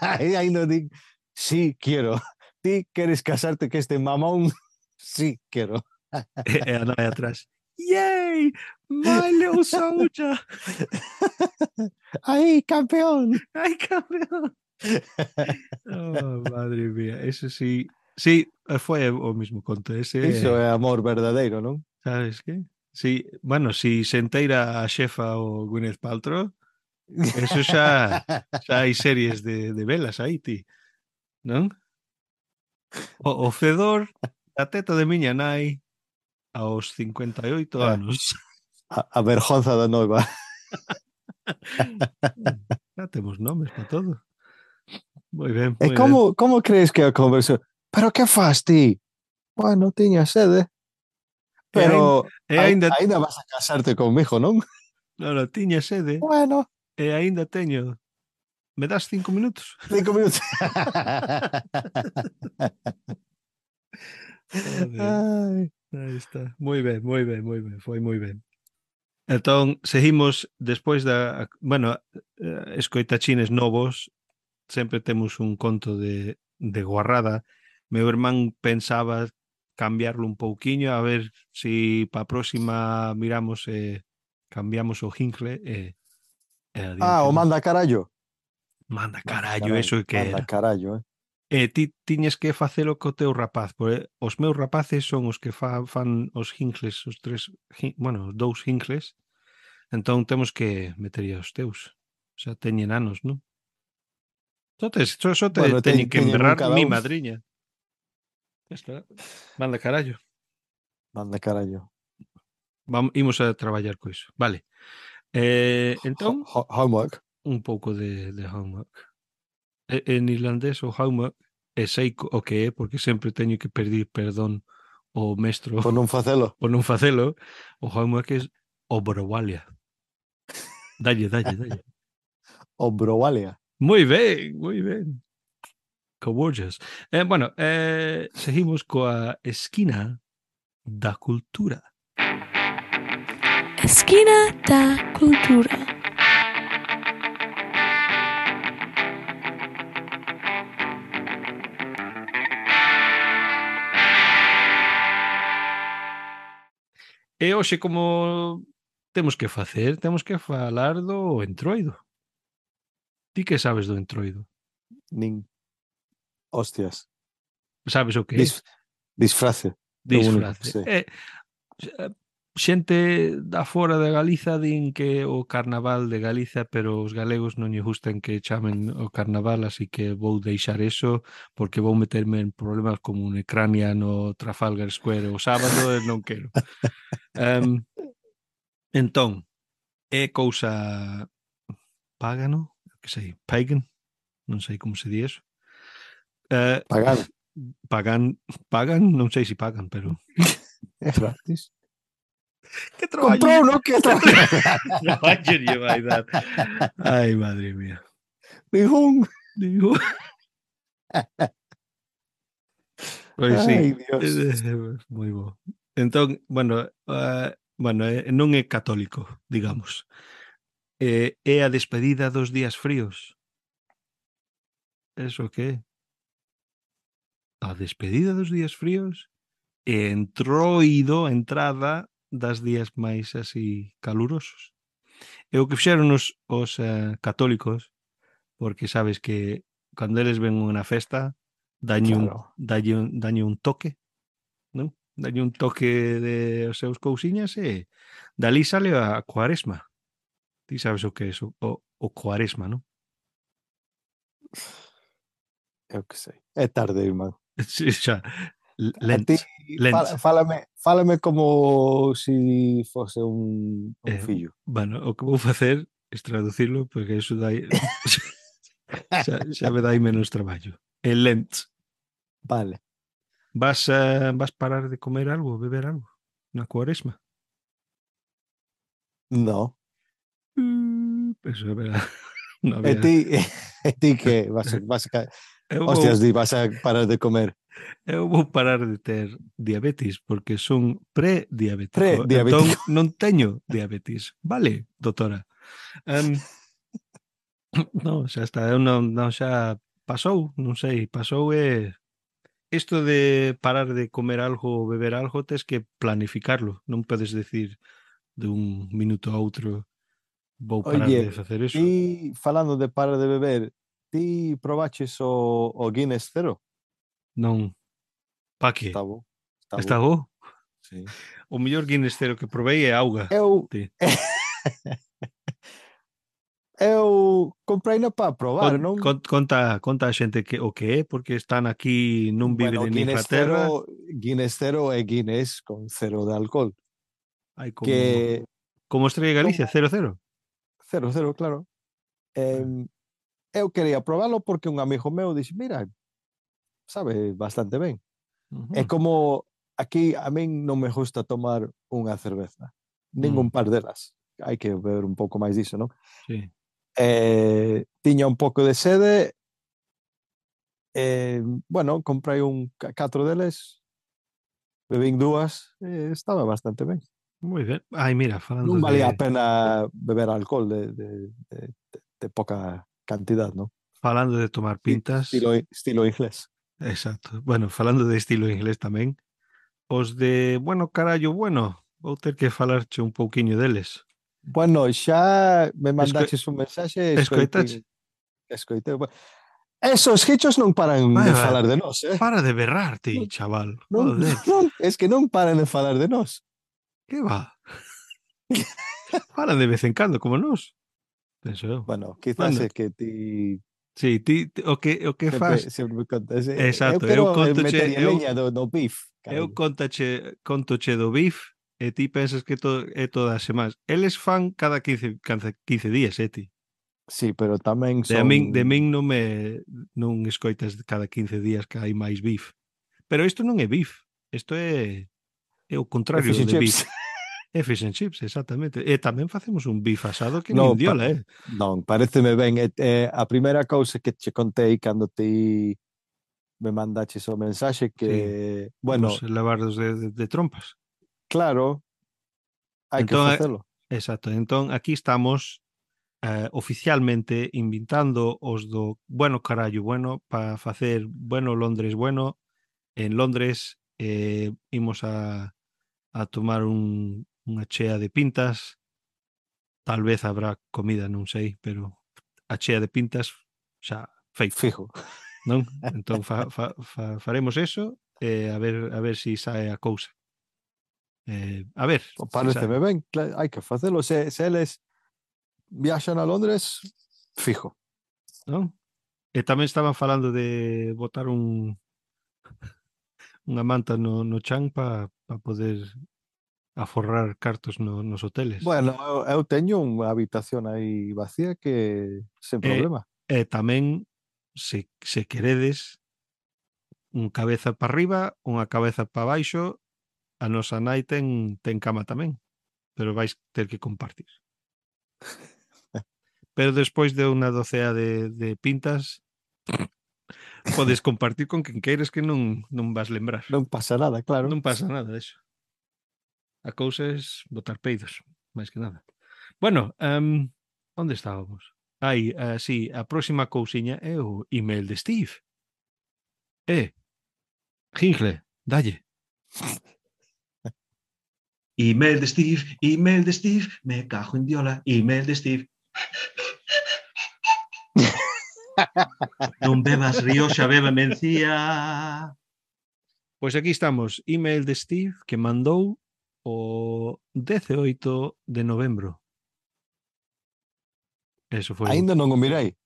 Aí non di, sí, quiero. Ti queres casarte que este mamón? Sí, quiero. E a nai atrás. Yay! My little soldier! Aí, campeón. Ai, campeón! Oh, madre mía, eso sí. Sí, foi o mismo conto. Iso Ese, é amor verdadeiro, non? sabes que? Sí, bueno, si se enteira a xefa o Gwyneth Paltrow, eso xa hai series de velas aí, ti, non? O fedor da teta de miña nai aos 58 anos. A vergonza da noiva. Já temos nomes para todo. Moi ben, E moi ben. como crees que é a conversión? Pero que faz ti? Bueno, tiña sede. E aínda, Pero e aínda aínda vas a casarte conmigo, non? non, tiña sede Bueno, e aínda teño. Me das 5 minutos? 5 minutos. Joder. Ai. Aí está. Moi ben, moi ben, moi ben. Foi moi ben. Entón, seguimos despois bueno, escoitachines novos, sempre temos un conto de guarrada. Meu irmán pensaba cambiarlo un pouquiño, a ver si pa próxima miramos e cambiamos o jingle e Ah, o adiante. manda carallo. Manda Manda carallo, carallo. eso que Manda era. carallo, E ti tiñes que facelo co teu rapaz, porque os meus rapaces son os que fan os jingles, os tres, bueno, os dous jingles, entón temos que meterlle os teus. Xa teñen anos, non? Só te Bueno, teñen que teñen un emberrar cada mi un. madriña. Está. Manda carallo. Manda carallo. Imos a traballar co iso. Vale. Entón, Homework. un pouco de homework. En irlandés o homework e sei o que é, porque sempre teño que pedir perdón ao mestro Por non facelo. por non facelo. O homework é obrowalia. Dalle. O browalia. Moi ben, moi ben. Coborges. Bueno, seguimos coa esquina da cultura. Esquina da cultura. E hoxe como temos que facer? Temos que falar do entroido. Ti que sabes do entroido? Nin. Hostias. Sabes o que é? Disfrace. É o único que Disfrace. sei. xente da fora de Galiza din que o carnaval de Galiza, pero os galegos non lle gustan que chamen o carnaval, así que vou deixar eso porque vou meterme en problemas como un Ucrania no Trafalgar Square o sábado e non quero. Entón, é cousa págano, que sei, pagan, non sei como se di eso. Pagan. Pagan, non sei se pagan, pero É gratis. que traballo, Comprou, non? Que traballo. traballo lle vai dar. Ai, madre mía. Ningún. Digo, pois sí, Ai, Dios. moi bo. Entón, bueno, non é católico, digamos. É a despedida dos días fríos. Eso que é? A despedida dos días fríos e entroido a entrada das días máis así calurosos. É o que fixeron os católicos, porque sabes que cando eles ven unha festa Claro. dañe un toque, non? Dañe un toque de os seus cousiñas e dali sale a cuaresma. Ti sabes o que é o cuaresma, non? Eu que sei. É tarde, irmán. Sí, xa, A ti, Lent. fálame como si fose un fillo. Bueno, o que vou facer é traducirlo porque eso dai xa me dai menos traballo. É Lent. Vale. Vas parar de comer algo, beber algo na cuaresma? No. Eso é verdade. No E había... ti que vas a eu hostias, vas a parar de comer. vou parar de ter diabetes porque son prediabético. Prediabético. Entón non teño diabetes. Vale, doutora. Non, xa está. Eu non xa pasou, non sei, pasou e isto de parar de comer algo ou beber algo tes que planificarlo. Non podes decir de un minuto a outro vou parar de Oye, facer eso. ti falando de parar de beber, ti probaches o Guinness Cero? Non. Pa que? Está bo. Está bo? Sí. O mellor Guinness Cero que provei é auga. Eu Sí. eu compreina para probar, non? Conta a xente que o que é, porque están aquí, non viven en Inglaterra. Guinness Cero é Guinness con cero de alcohol. Hai Que como Estrella Galicia, 0-0. Cero, claro. Eu quería probalo porque un amigo meu dixe, mira, sabe bastante ben. É como aquí a min non me gusta tomar unha cerveza, ningún par delas. Hai que beber un pouco máis diso, non? Sí. Tiña un pouco de sede, bueno, comprei 4 deles, bebín 2, estaba bastante ben. Moi ben. Ai, mira, falando Non valía a de pena beber alcohol de pouca cantidad, non? falando de tomar pintas. Estilo inglés. Exacto. Bueno, falando de estilo inglés tamén. Os de, bueno, carallo, bueno, vou ter que falarche un pouquiño deles. Bueno, xa me mandaches un mensaxe, Escoitache? Escoitei. Esos hichos non paran de falar de nós, Para de berrar ti, chaval. Joder. Non, es que non paran de falar de nós. Que va? Falan de vez en cando, como nós. Penso eu. Bueno, quizás é que ti sí, ti o que faz sempre me contas. exacto, eu eu quero contoche meter leña no beef. Eu contoche do beef e ti pensas que é todas as semanas. Eles fan cada 15 días, ti. Sí, pero tamén De son... min non escoitas cada 15 días que hai máis beef. Pero isto non é beef. Isto é o contrario de beef. É fish and chips, exactamente. E tamén facemos un beef asado que nin diola, Non, pareceme ben. A primeira cousa que che contei cando ti me mandaches o mensaxe que, bueno... Os lavardos de trompas. Claro, hai que facelo. Exacto. Entón, aquí estamos oficialmente invitando os do bueno carallo bueno para facer bueno Londres bueno. En Londres imos a tomar unha chea de pintas. Tal vez habrá comida, non sei, pero a chea de pintas xa feito. Fijo. Non? Entón faremos eso e a ver si sae a cousa. A ver, Pareceme ben, hai que facelo. Se eles viaxan a Londres, fijo. non? E tamén estaban falando de botar unha manta no chan para poder aforrar cartos nos hoteles. Bueno, eu teño unha habitación aí vacía que sen E, problema. e tamén, se queredes, un cabeza para arriba, unha cabeza para baixo, a nosa nai ten cama tamén, pero vais ter que compartir. Pero despois de unha docea de pintas, podes compartir con quen queires que non vas lembrar. Non pasa nada, claro. Non pasa nada eso. A cousa é botar peidos, máis que nada. Bueno, onde estábamos? Sí, a próxima cousiña é o email de Steve. Gingle, dalle. Email de Steve, me cajo en diola, email de Steve. Non bebas Rioxa, beba mencía. Pois aquí estamos, email de Steve que mandou o 18 de novembro. Eso foi. Ainda non o mirei.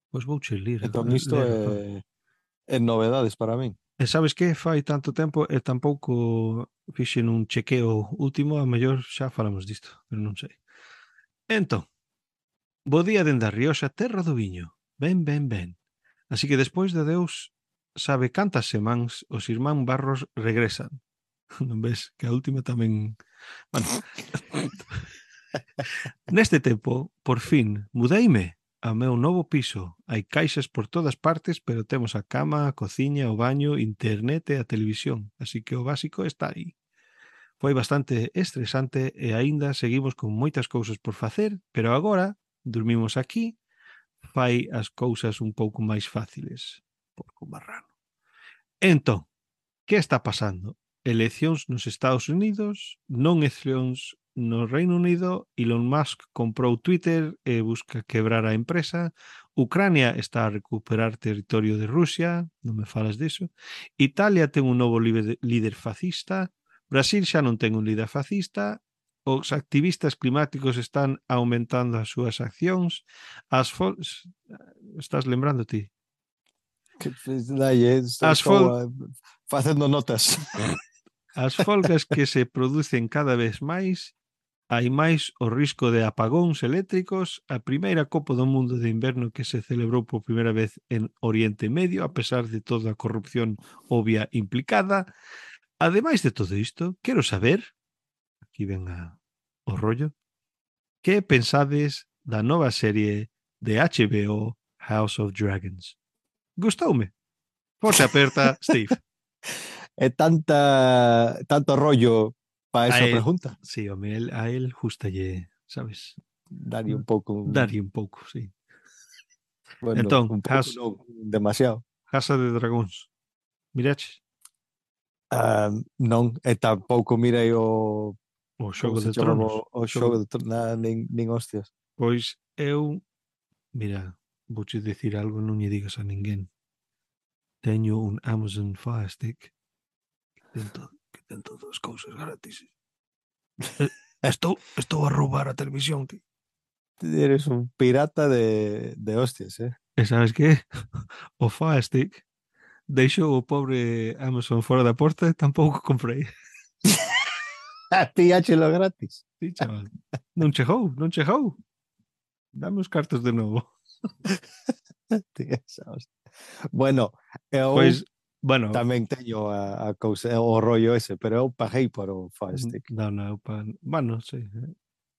Pois vou che ler. Entón isto é novedades para min. E sabes que fai tanto tempo e tampouco fixen un chequeo último, a mellor xa falamos disto, pero non sei. Entón, bo día dende a Rioxa, terra do viño. Ben. Así que despois de Deus sabe cantas semáns os irmán Barros regresan. Non ves que a última tamén... Bueno, neste tempo, por fin, mudeime ao meu novo piso. Hai caixas por todas partes, pero temos a cama, a cociña, o baño, internet e a televisión. Así que o básico está aí. Foi bastante estresante e aínda seguimos con moitas cousas por facer, pero agora dormimos aquí, fai as cousas un pouco máis fáciles. Porco marrano. Entón, que está pasando? Eleccións nos Estados Unidos, non eleccións no Reino Unido, Elon Musk comprou Twitter e busca quebrar a empresa, Ucrania está a recuperar territorio de Rusia, non me falas diso, Italia ten un novo líder fascista, Brasil xa non ten un líder fascista, os activistas climáticos están aumentando as súas accións, estás lembrando ti? Estou facendo notas. As folgas que se producen cada vez máis, hai máis o risco de apagóns eléctricos, a primeira Copa do Mundo de Inverno que se celebrou por primeira vez en Oriente Medio, a pesar de toda a corrupción obvia implicada. Ademais de todo isto, quero saber, aquí ven o rollo, que pensades da nova serie de HBO House of Dragons? Gustoume. Forse aperta, Steve. É tanto rollo para esa pregunta. Sí, home, a él justalle, sabes? Daría un pouco. Daría un pouco, sí. Bueno, entón, un pouco non, demasiado. Casa de Dragóns. Miraches? Non, e tampouco mirei o Xogo de Tronos. O Xogo de Tronos, nin hostias. Pois eu, mira, vouche dicir algo, non lle digas a ninguén. Teño un Amazon Fire Stick que ten todas as cousas gratis. Estou a roubar a televisión, ti. Eres un pirata de hostias, eh? E sabes que? O Fire Stick deixou o pobre Amazon fora da porta e tampouco comprei. Pilláchelo gratis. Sí, chaval. Non chegou. Dame os cartos de novo. Bueno, eu tamén bueno, teño a cousa, o rollo ese, pero eu paguei por o Fire Stick. Non, bueno, sí.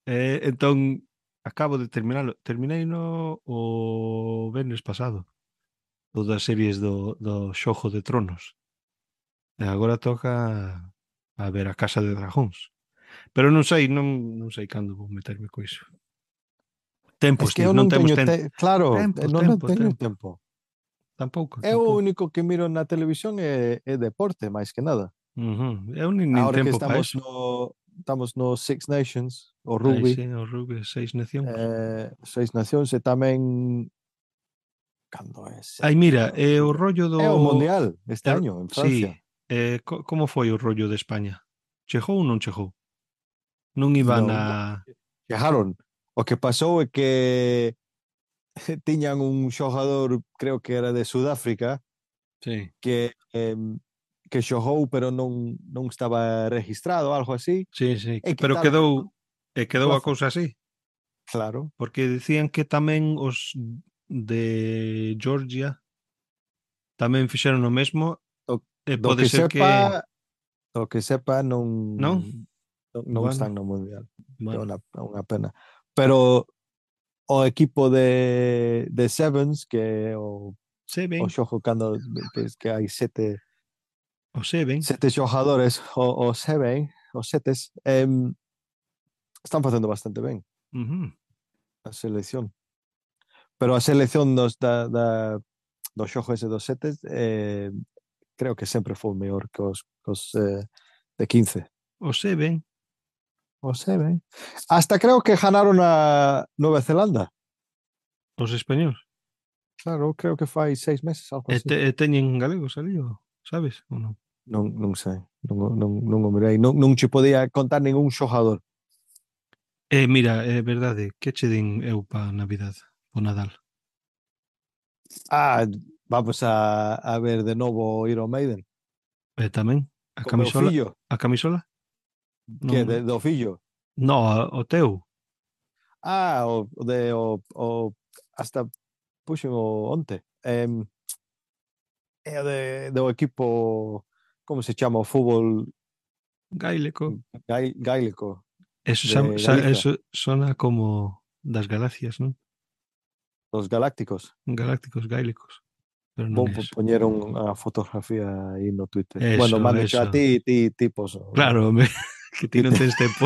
Entón, acabo de terminalo. Termineino o venres pasado. Todas as series do Xogo de Tronos. E agora toca a ver a Casa de Dragóns. Pero non sei cando vou meterme co iso. Tempo, es que eu non temos teño claro, non teño tempo. Tampouco. O único que miro na televisión é deporte, máis que nada. Eu nin Ahora tempo que para eso. Estamos no Six Nations, o rugby. Sí, o rugby, Seis Nacións. Seis Nacións e tamén cando é? Mira, o rollo do... É o Mundial este año en Francia. Sí. Como foi o rollo de España? Chegou ou non chegou? Non iban Non, a... chegaron. O que pasou é que tiñan un xogador, creo que era de Sudáfrica, Sí, que xogou pero non estaba registrado, algo así, sí, sí. e Pero quitaron quedou a plaza. cousa así. Claro. Porque decían que tamén os de Georgia tamén fixeron o mesmo Do, e do pode que ser que... sepa, do que sepa Non? non Bueno, están no Mundial. É bueno. unha pena. Pero o equipo de Sevens, que é o Seven, xogo cando que hai o Seven. sete xogadores, o Seven, os setes, están facendo bastante ben a selección. Pero a selección do xogo ese dos setes creo que sempre foi mellor que os de 15. O Seven, O Seven. Hasta creo que ganaron a Nueva Zelanda. os españoles. Claro, creo que fai 6 meses, algo así. E teñen galegos ali, sabes? Ou non? Non sei, non o mirei. Non che podía contar ningún xogador. Mira, é verdade, que che din eu pa Navidad, o Nadal? Vamos a ver de novo Iron Maiden. E tamén, a Co meu camisola? fillo. A camisola? Que Non, do fillo? no, o teu. Hasta puxen o onte. É do equipo, como se chama, o fútbol Gaélico. gaélico Eso, de Galiza, eso sona como das galaxias, non? os galácticos. Galácticos, gaélicos. Pero non Vou é eso. poñer unha fotografía aí no Twitter. Bueno, Eso, mando eso. a ti poso. Claro, que ti non tens tempo.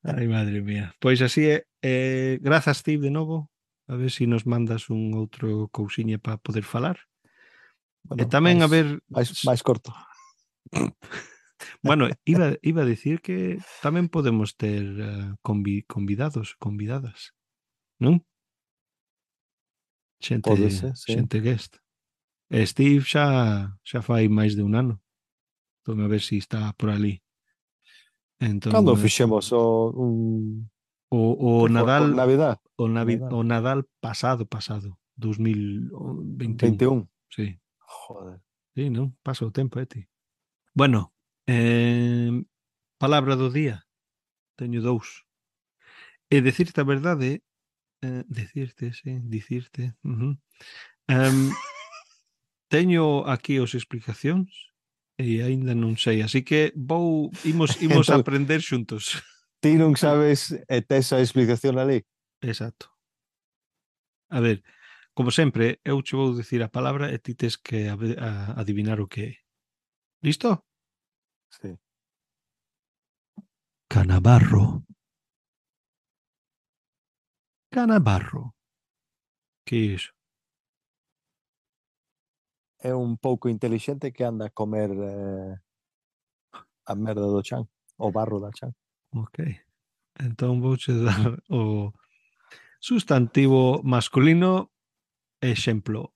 Ai, madre mía. Pois así é. Grazas, Steve, de novo. A ver se nos mandas un outro cousiña para poder falar. E Bueno, tamén a ver... máis corto. Bueno, iba a decir que tamén podemos ter convidados, convidadas, non? Pode ser, sí. Xente guest. E Steve xa fai máis de un ano. Entón a ver se está por ali. Entón, Cando fixemos o Nadal, por Navidad? o Nadal pasado, 2021. 21. Sí. Joder. Sí, non? Pasa o tempo, ti. Bueno, palabra do día. Teño 2. E decirte a verdade, dicirte. Teño aquí as explicacións e aínda non sei, así que imos Entón, aprender xuntos. ti non sabes e tes a explicación ali? Exacto. A ver, como sempre, eu che vou dicir a palabra e ti tes que adivinar o que é. Listo? Sí. Canabarro. Canabarro. Que é iso? É un pouco intelixente que anda a comer a merda do chan, o barro da chan. Ok. Entón vouche dar o sustantivo masculino exemplo.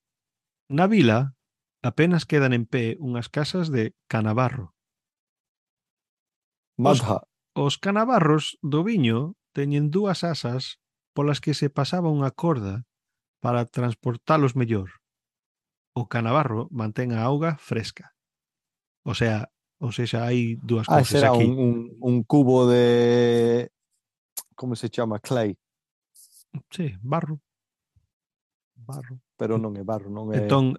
Na vila apenas quedan en pé unhas casas de canabarro. Madha. Os canabarros do viño teñen 2 asas polas que se pasaba unha corda para transportalos mellor. O canabarro mantén a auga fresca. O sea, hai 2 cousas será aquí. un cubo de... Como se chama? Clay. Sí, barro. Barro. Pero non é barro, non é... Entón,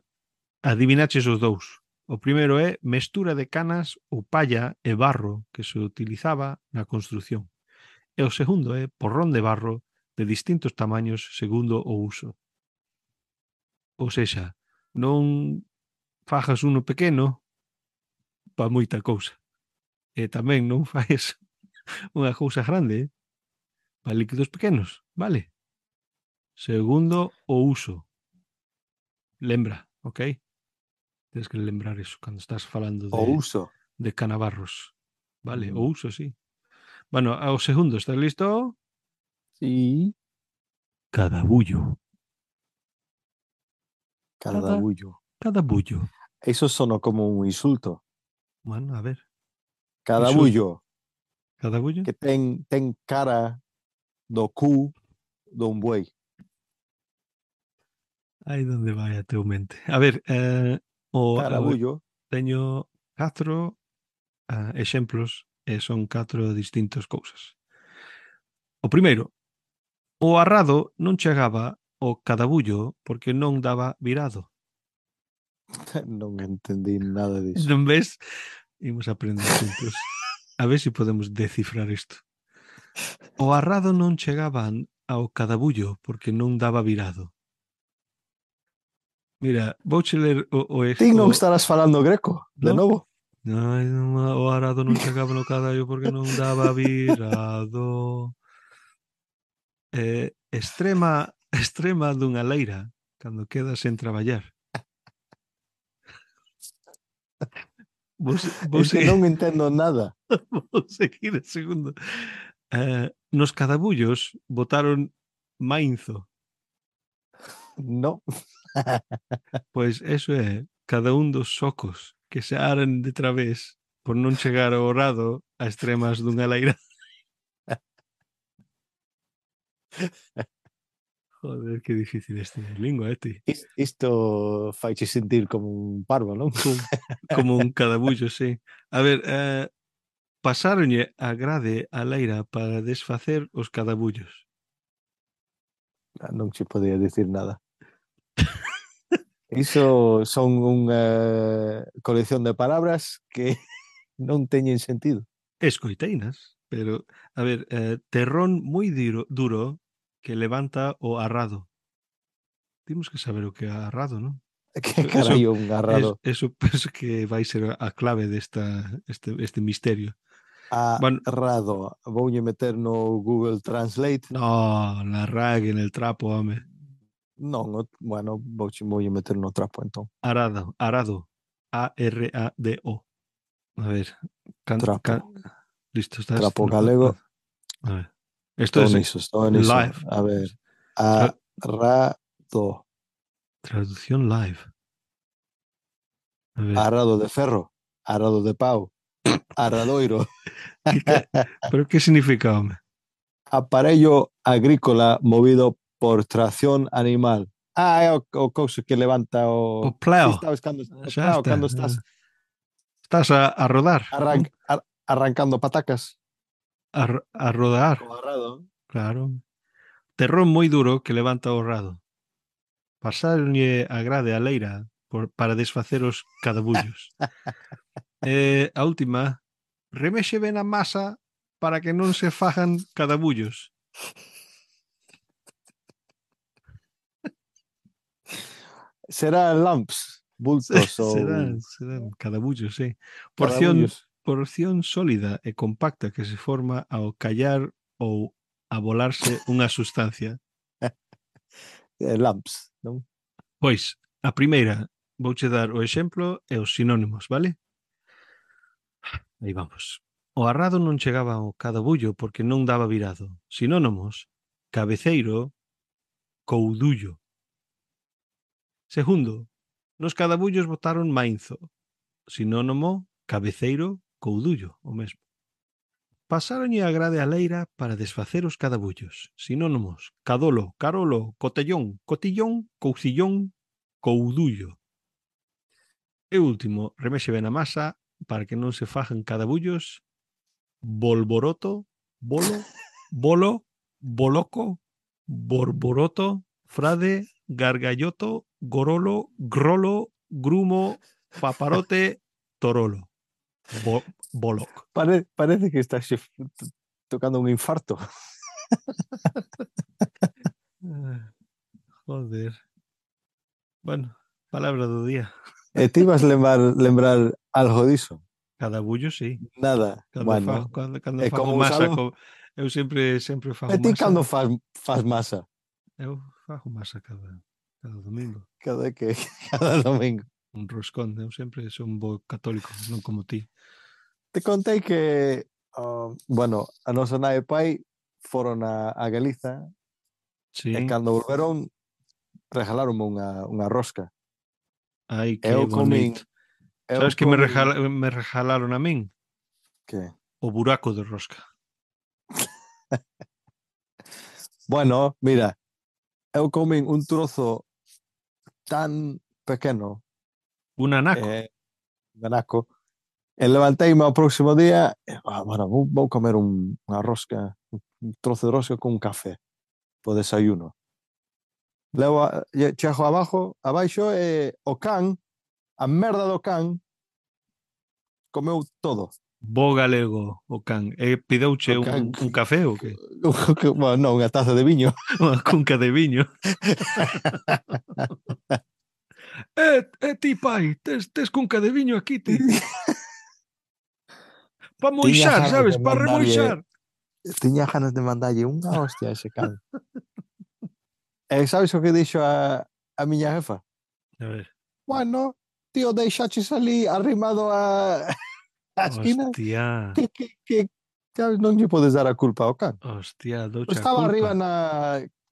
adivinaches os 2. O primeiro é mestura de canas ou palla e barro que se utilizaba na construción. E o segundo é porrón de barro de distintos tamaños segundo o uso. Ou sexa, non fajas uno pequeno para moita cousa. E tamén non fais unha cousa grande para líquidos pequenos, vale? Segundo, o uso. Lembra, ok? Tens que lembrar eso cando estás falando O uso. de canabarros. Vale, o uso, sí. Bueno, ao segundo, estás listo? Sí. Cadabullo. Cadabullo. Cadabullo. Eso sono como un insulto. Bueno, a ver. Cadabullo, Cadabullo? que ten cara do cu dun buey. Aí donde vai a teu mente. A ver, Carabullo, teño 4 exemplos e son 4 distintas cousas. O primeiro, o arrado non chegaba ao cadabullo porque non daba virado. non entendí nada disso. Non ves? Imos aprender xuntos. A ver se podemos descifrar isto. O arrado non chegaban ao cadabullo porque non daba virado. Mira, vouche ler Ti non estarás falando greco, de no? novo? Ai, o arado non chegaba no cadallo porque non daba virado. Extrema dunha leira cando quedas sen traballar. Vou Es que seguir, non entendo nada. vou seguir o segundo. Nos cadabullos botaron mainzo. No. Pois eso é cada un dos socos que se aran de través por non chegar ao rado a extremas dunha leira. Joder, que difícil este lingua, ti. Isto faiche sentir como un parvo, non? Como un cadabullo, sí. A ver, pasáronlle a grade a leira para desfacer os cadabullos. Non se podía dicir nada. Iso son unha colección de palabras que non teñen sentido. Escoiteinas, pero, a ver, terrón moi duro que levanta o arrado. Temos que saber o que é arrado, non? Que carallo un arrado. Eso penso que vai ser a clave este misterio. Bueno, Arrado. Voulle meter no Google Translate. no, la rague en el trapo, home. Non, bueno, voulle meter no trapo, entón. Arado. A-R-A-D-O. A ver, Trapo. listo, estás. Trapo galego. A ver. Esto es Estou niso. live. A ver. Arrado. Traducción live. A ver. Arrado de ferro. Arrado de pau. Arradoiro. ¿Pero qué significa, home? Aparello agrícola movido por tracción animal. É o couso que levanta o... O pleo. Sí, sabes cando, Xa está. cando estás Estás a rodar. arrancando patacas. A rodar. O arrado. Claro. Terrón moi duro que levanta o rado. Pasaronlle a grade a leira para desfacer os cadabullos. A última, remexe ben a masa para que non se fajan cadabullos. Será lamps, bultos ou... Serán cadabullos, sí. Porción sólida e compacta que se forma ao callar ou a volarse unha sustancia. Lamps, non? Pois, a primeira, vouche dar o exemplo e os sinónimos, vale? Aí vamos. O arrado non chegaba ao cadabullo porque non daba virado. Sinónimos, cabeceiro, coudullo. Segundo, nos cadabullos botaron mainzo. Sinónimo, cabeceiro, coudullo, o mesmo. Pasáronlle a grade a leira para desfacer os cadabullos. Sinónimos, cadolo, carolo, cotellón, cotillón, coucillón, coudullo. E último, remexe ben a masa para que non se fajan cadabullos, bolboroto, bolo, boloco, borboroto, frade, gargalloto, gorolo, grolo, grumo, paparote, torolo. Boloc. Parece que estás tocando un infarto. Joder. Bueno, palabra do día. E ti vas lembrar algo diso? Cadabullo, sí. Nada. Cando fago masa, eu sempre fago masa. E ti cando faz masa? Eu fago masa cada domingo. Cada domingo. Un roscón, eu sempre son un bo católico, non como ti. Te contei que, bueno, a nosa nai e pai foron a Galiza, sí. E cando volveron regalaronme unha rosca. Ai, que bonito. Sabes que me regalaron a min? Que? O buraco de rosca. Bueno, mira, eu comen un trozo tan pequeno, Un anaco. ganaco, e levanteime ao próximo día, bueno, vou comer unha rosca, un trozo de rosca con un café, po desayuno. Levo, chego abaixo, e o can, a merda do can, comeu todo. Bo galego o can. Pideuche O can, un café ou que? bueno, non, unha taza de viño. Unha cunca de viño. Ti, pai, tes cunca de viño aquí, ti. Pa moixar, sabes? Pa remoixar. Tiña ganas de mandarlle unha hostia a ese can. E sabes o que dixo a miña jefa? A ver. Bueno, tío, deixaches ali arrimado a esquina. Hostia. Que sabes, non lle podes dar a culpa ao can. Hostia, doucha Estaba culpa. arriba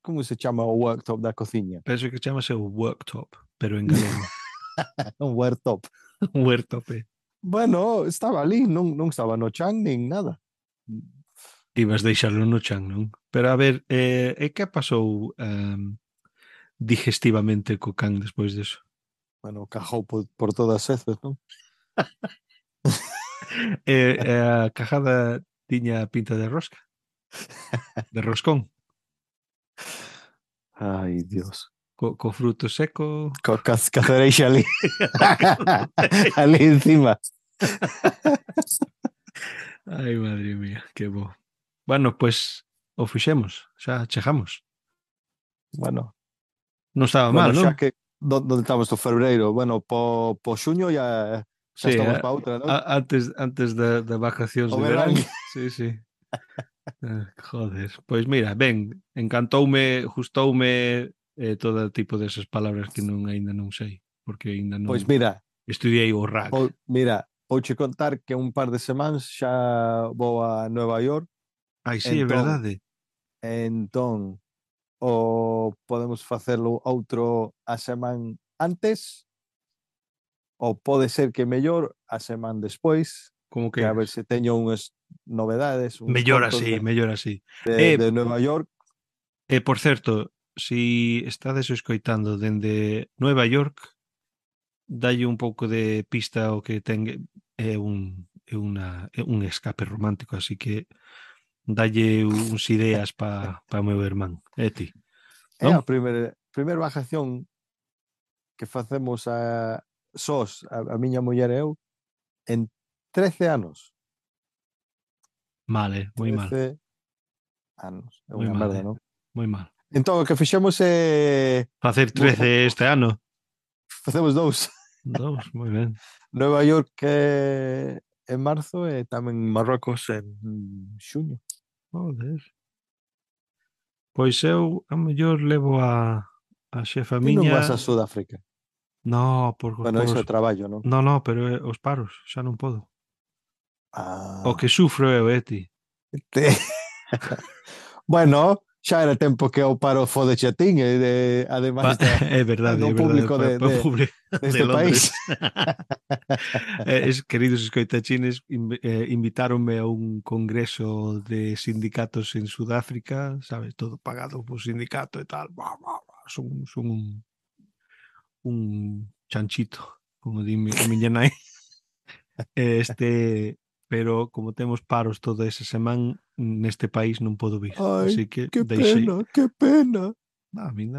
como se chama o worktop da cociña? Penso que chamase o worktop, pero en galego. Un worktop. Un worktop. Bueno, estaba ali, non estaba no chan nin nada. Ibas deixarlo no chan, non? Pero a ver, que pasou digestivamente co can despois deso? Bueno, cajou por todas veces, non? A cajada tiña pinta de rosca. De roscón. Ai, Dios. Co fruto seco. Co cacereixa ali. Ali encima. Ai, madre mía, que bo. Bueno, pues o fixemos, xa chegamos. Bueno. Non estaba mal, non? Xa que donde estamos do febreiro, bueno, po xuño xa estamos pa outra, non? Antes da vacacións de verán. Sí, sí. Joder, pois mira, ben, gustoume todo tipo desas palabras que aínda non sei, porque aínda non. Pois mira, estudiei o RAC. Mira, vouche contar que un par de semanas xa vou a Nueva York. Ai, sí, é verdade. Entón, podemos facelo outro a semana antes, ou pode ser que mellor a semana despois, como que a ver se teño unhas novedades, mellor así. de Nueva York. Por certo, si estades escoitando dende Nueva York, dalle un pouco de pista ao que ten un escape romántico, así que dalle uns ideas pa o meu irmán, ti. É a primeira vacación que facemos sós, a miña muller e eu, en 13 anos. Mal, moi mal. 13 anos. É unha merda, non? Moi mal. Entón, o que fixemos é... Facer 13 este ano. Facemos 2. 2, moi ben. Nueva York en marzo e tamén Marrocos en xuño. Joder. Pois eu, a mellor, levo a xefa miña... Ti non vas a Sudáfrica? No, bueno, iso é traballo, non? No, pero os paros, xa non podo. O que sufro eu, ti. Bueno, xa era tempo que o paro fodeche a tin, ademais é verdade, do público deste país. Queridos escoitachines, invitáronme a un congreso de sindicatos en Sudáfrica, sabes, todo pagado por sindicato e tal. Son un chanchito, como di a miña nai. Pero como temos paros toda esa semana, neste país non podo vir. Ai, así que que deixei... pena. A min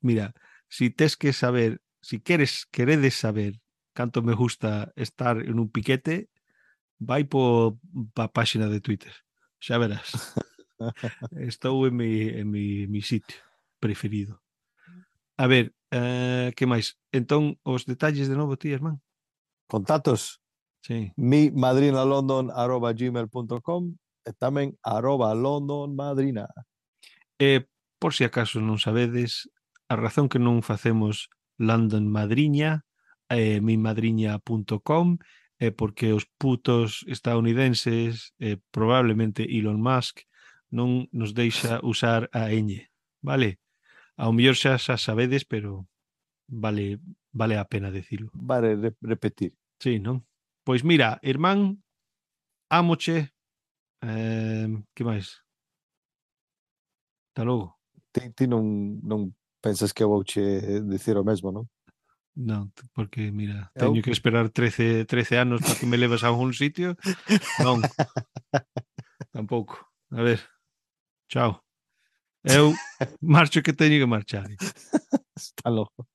mira, si tes que saber, si queredes saber canto me gusta estar en un piquete, vai pa páxina de Twitter. Xa verás. Estou en mi sitio preferido. A ver, que máis? Entón, os detalles de novo, ti, irmán? Contactos? Sí. mimadrinalondon@gmail.com e tamén @londonmadrina. Por si acaso non sabedes, a razón que non facemos London Madriña, mimadriña.com, é porque os putos estadounidenses, probablemente Elon Musk, non nos deixa usar a ñ, vale? Ao mellor xa sabedes, pero vale a pena decirlo. Vale repetir. Sí, non? Pois mira, irmán, ámoche, que máis? Hasta logo. Ti non pensas que eu vouche dicir o mesmo, non? Non, porque mira, Eu? teño que esperar 13 anos para que me leves a algún sitio. Non, tampouco. A ver, chao. Eu marcho que teño que marchar. Está loco.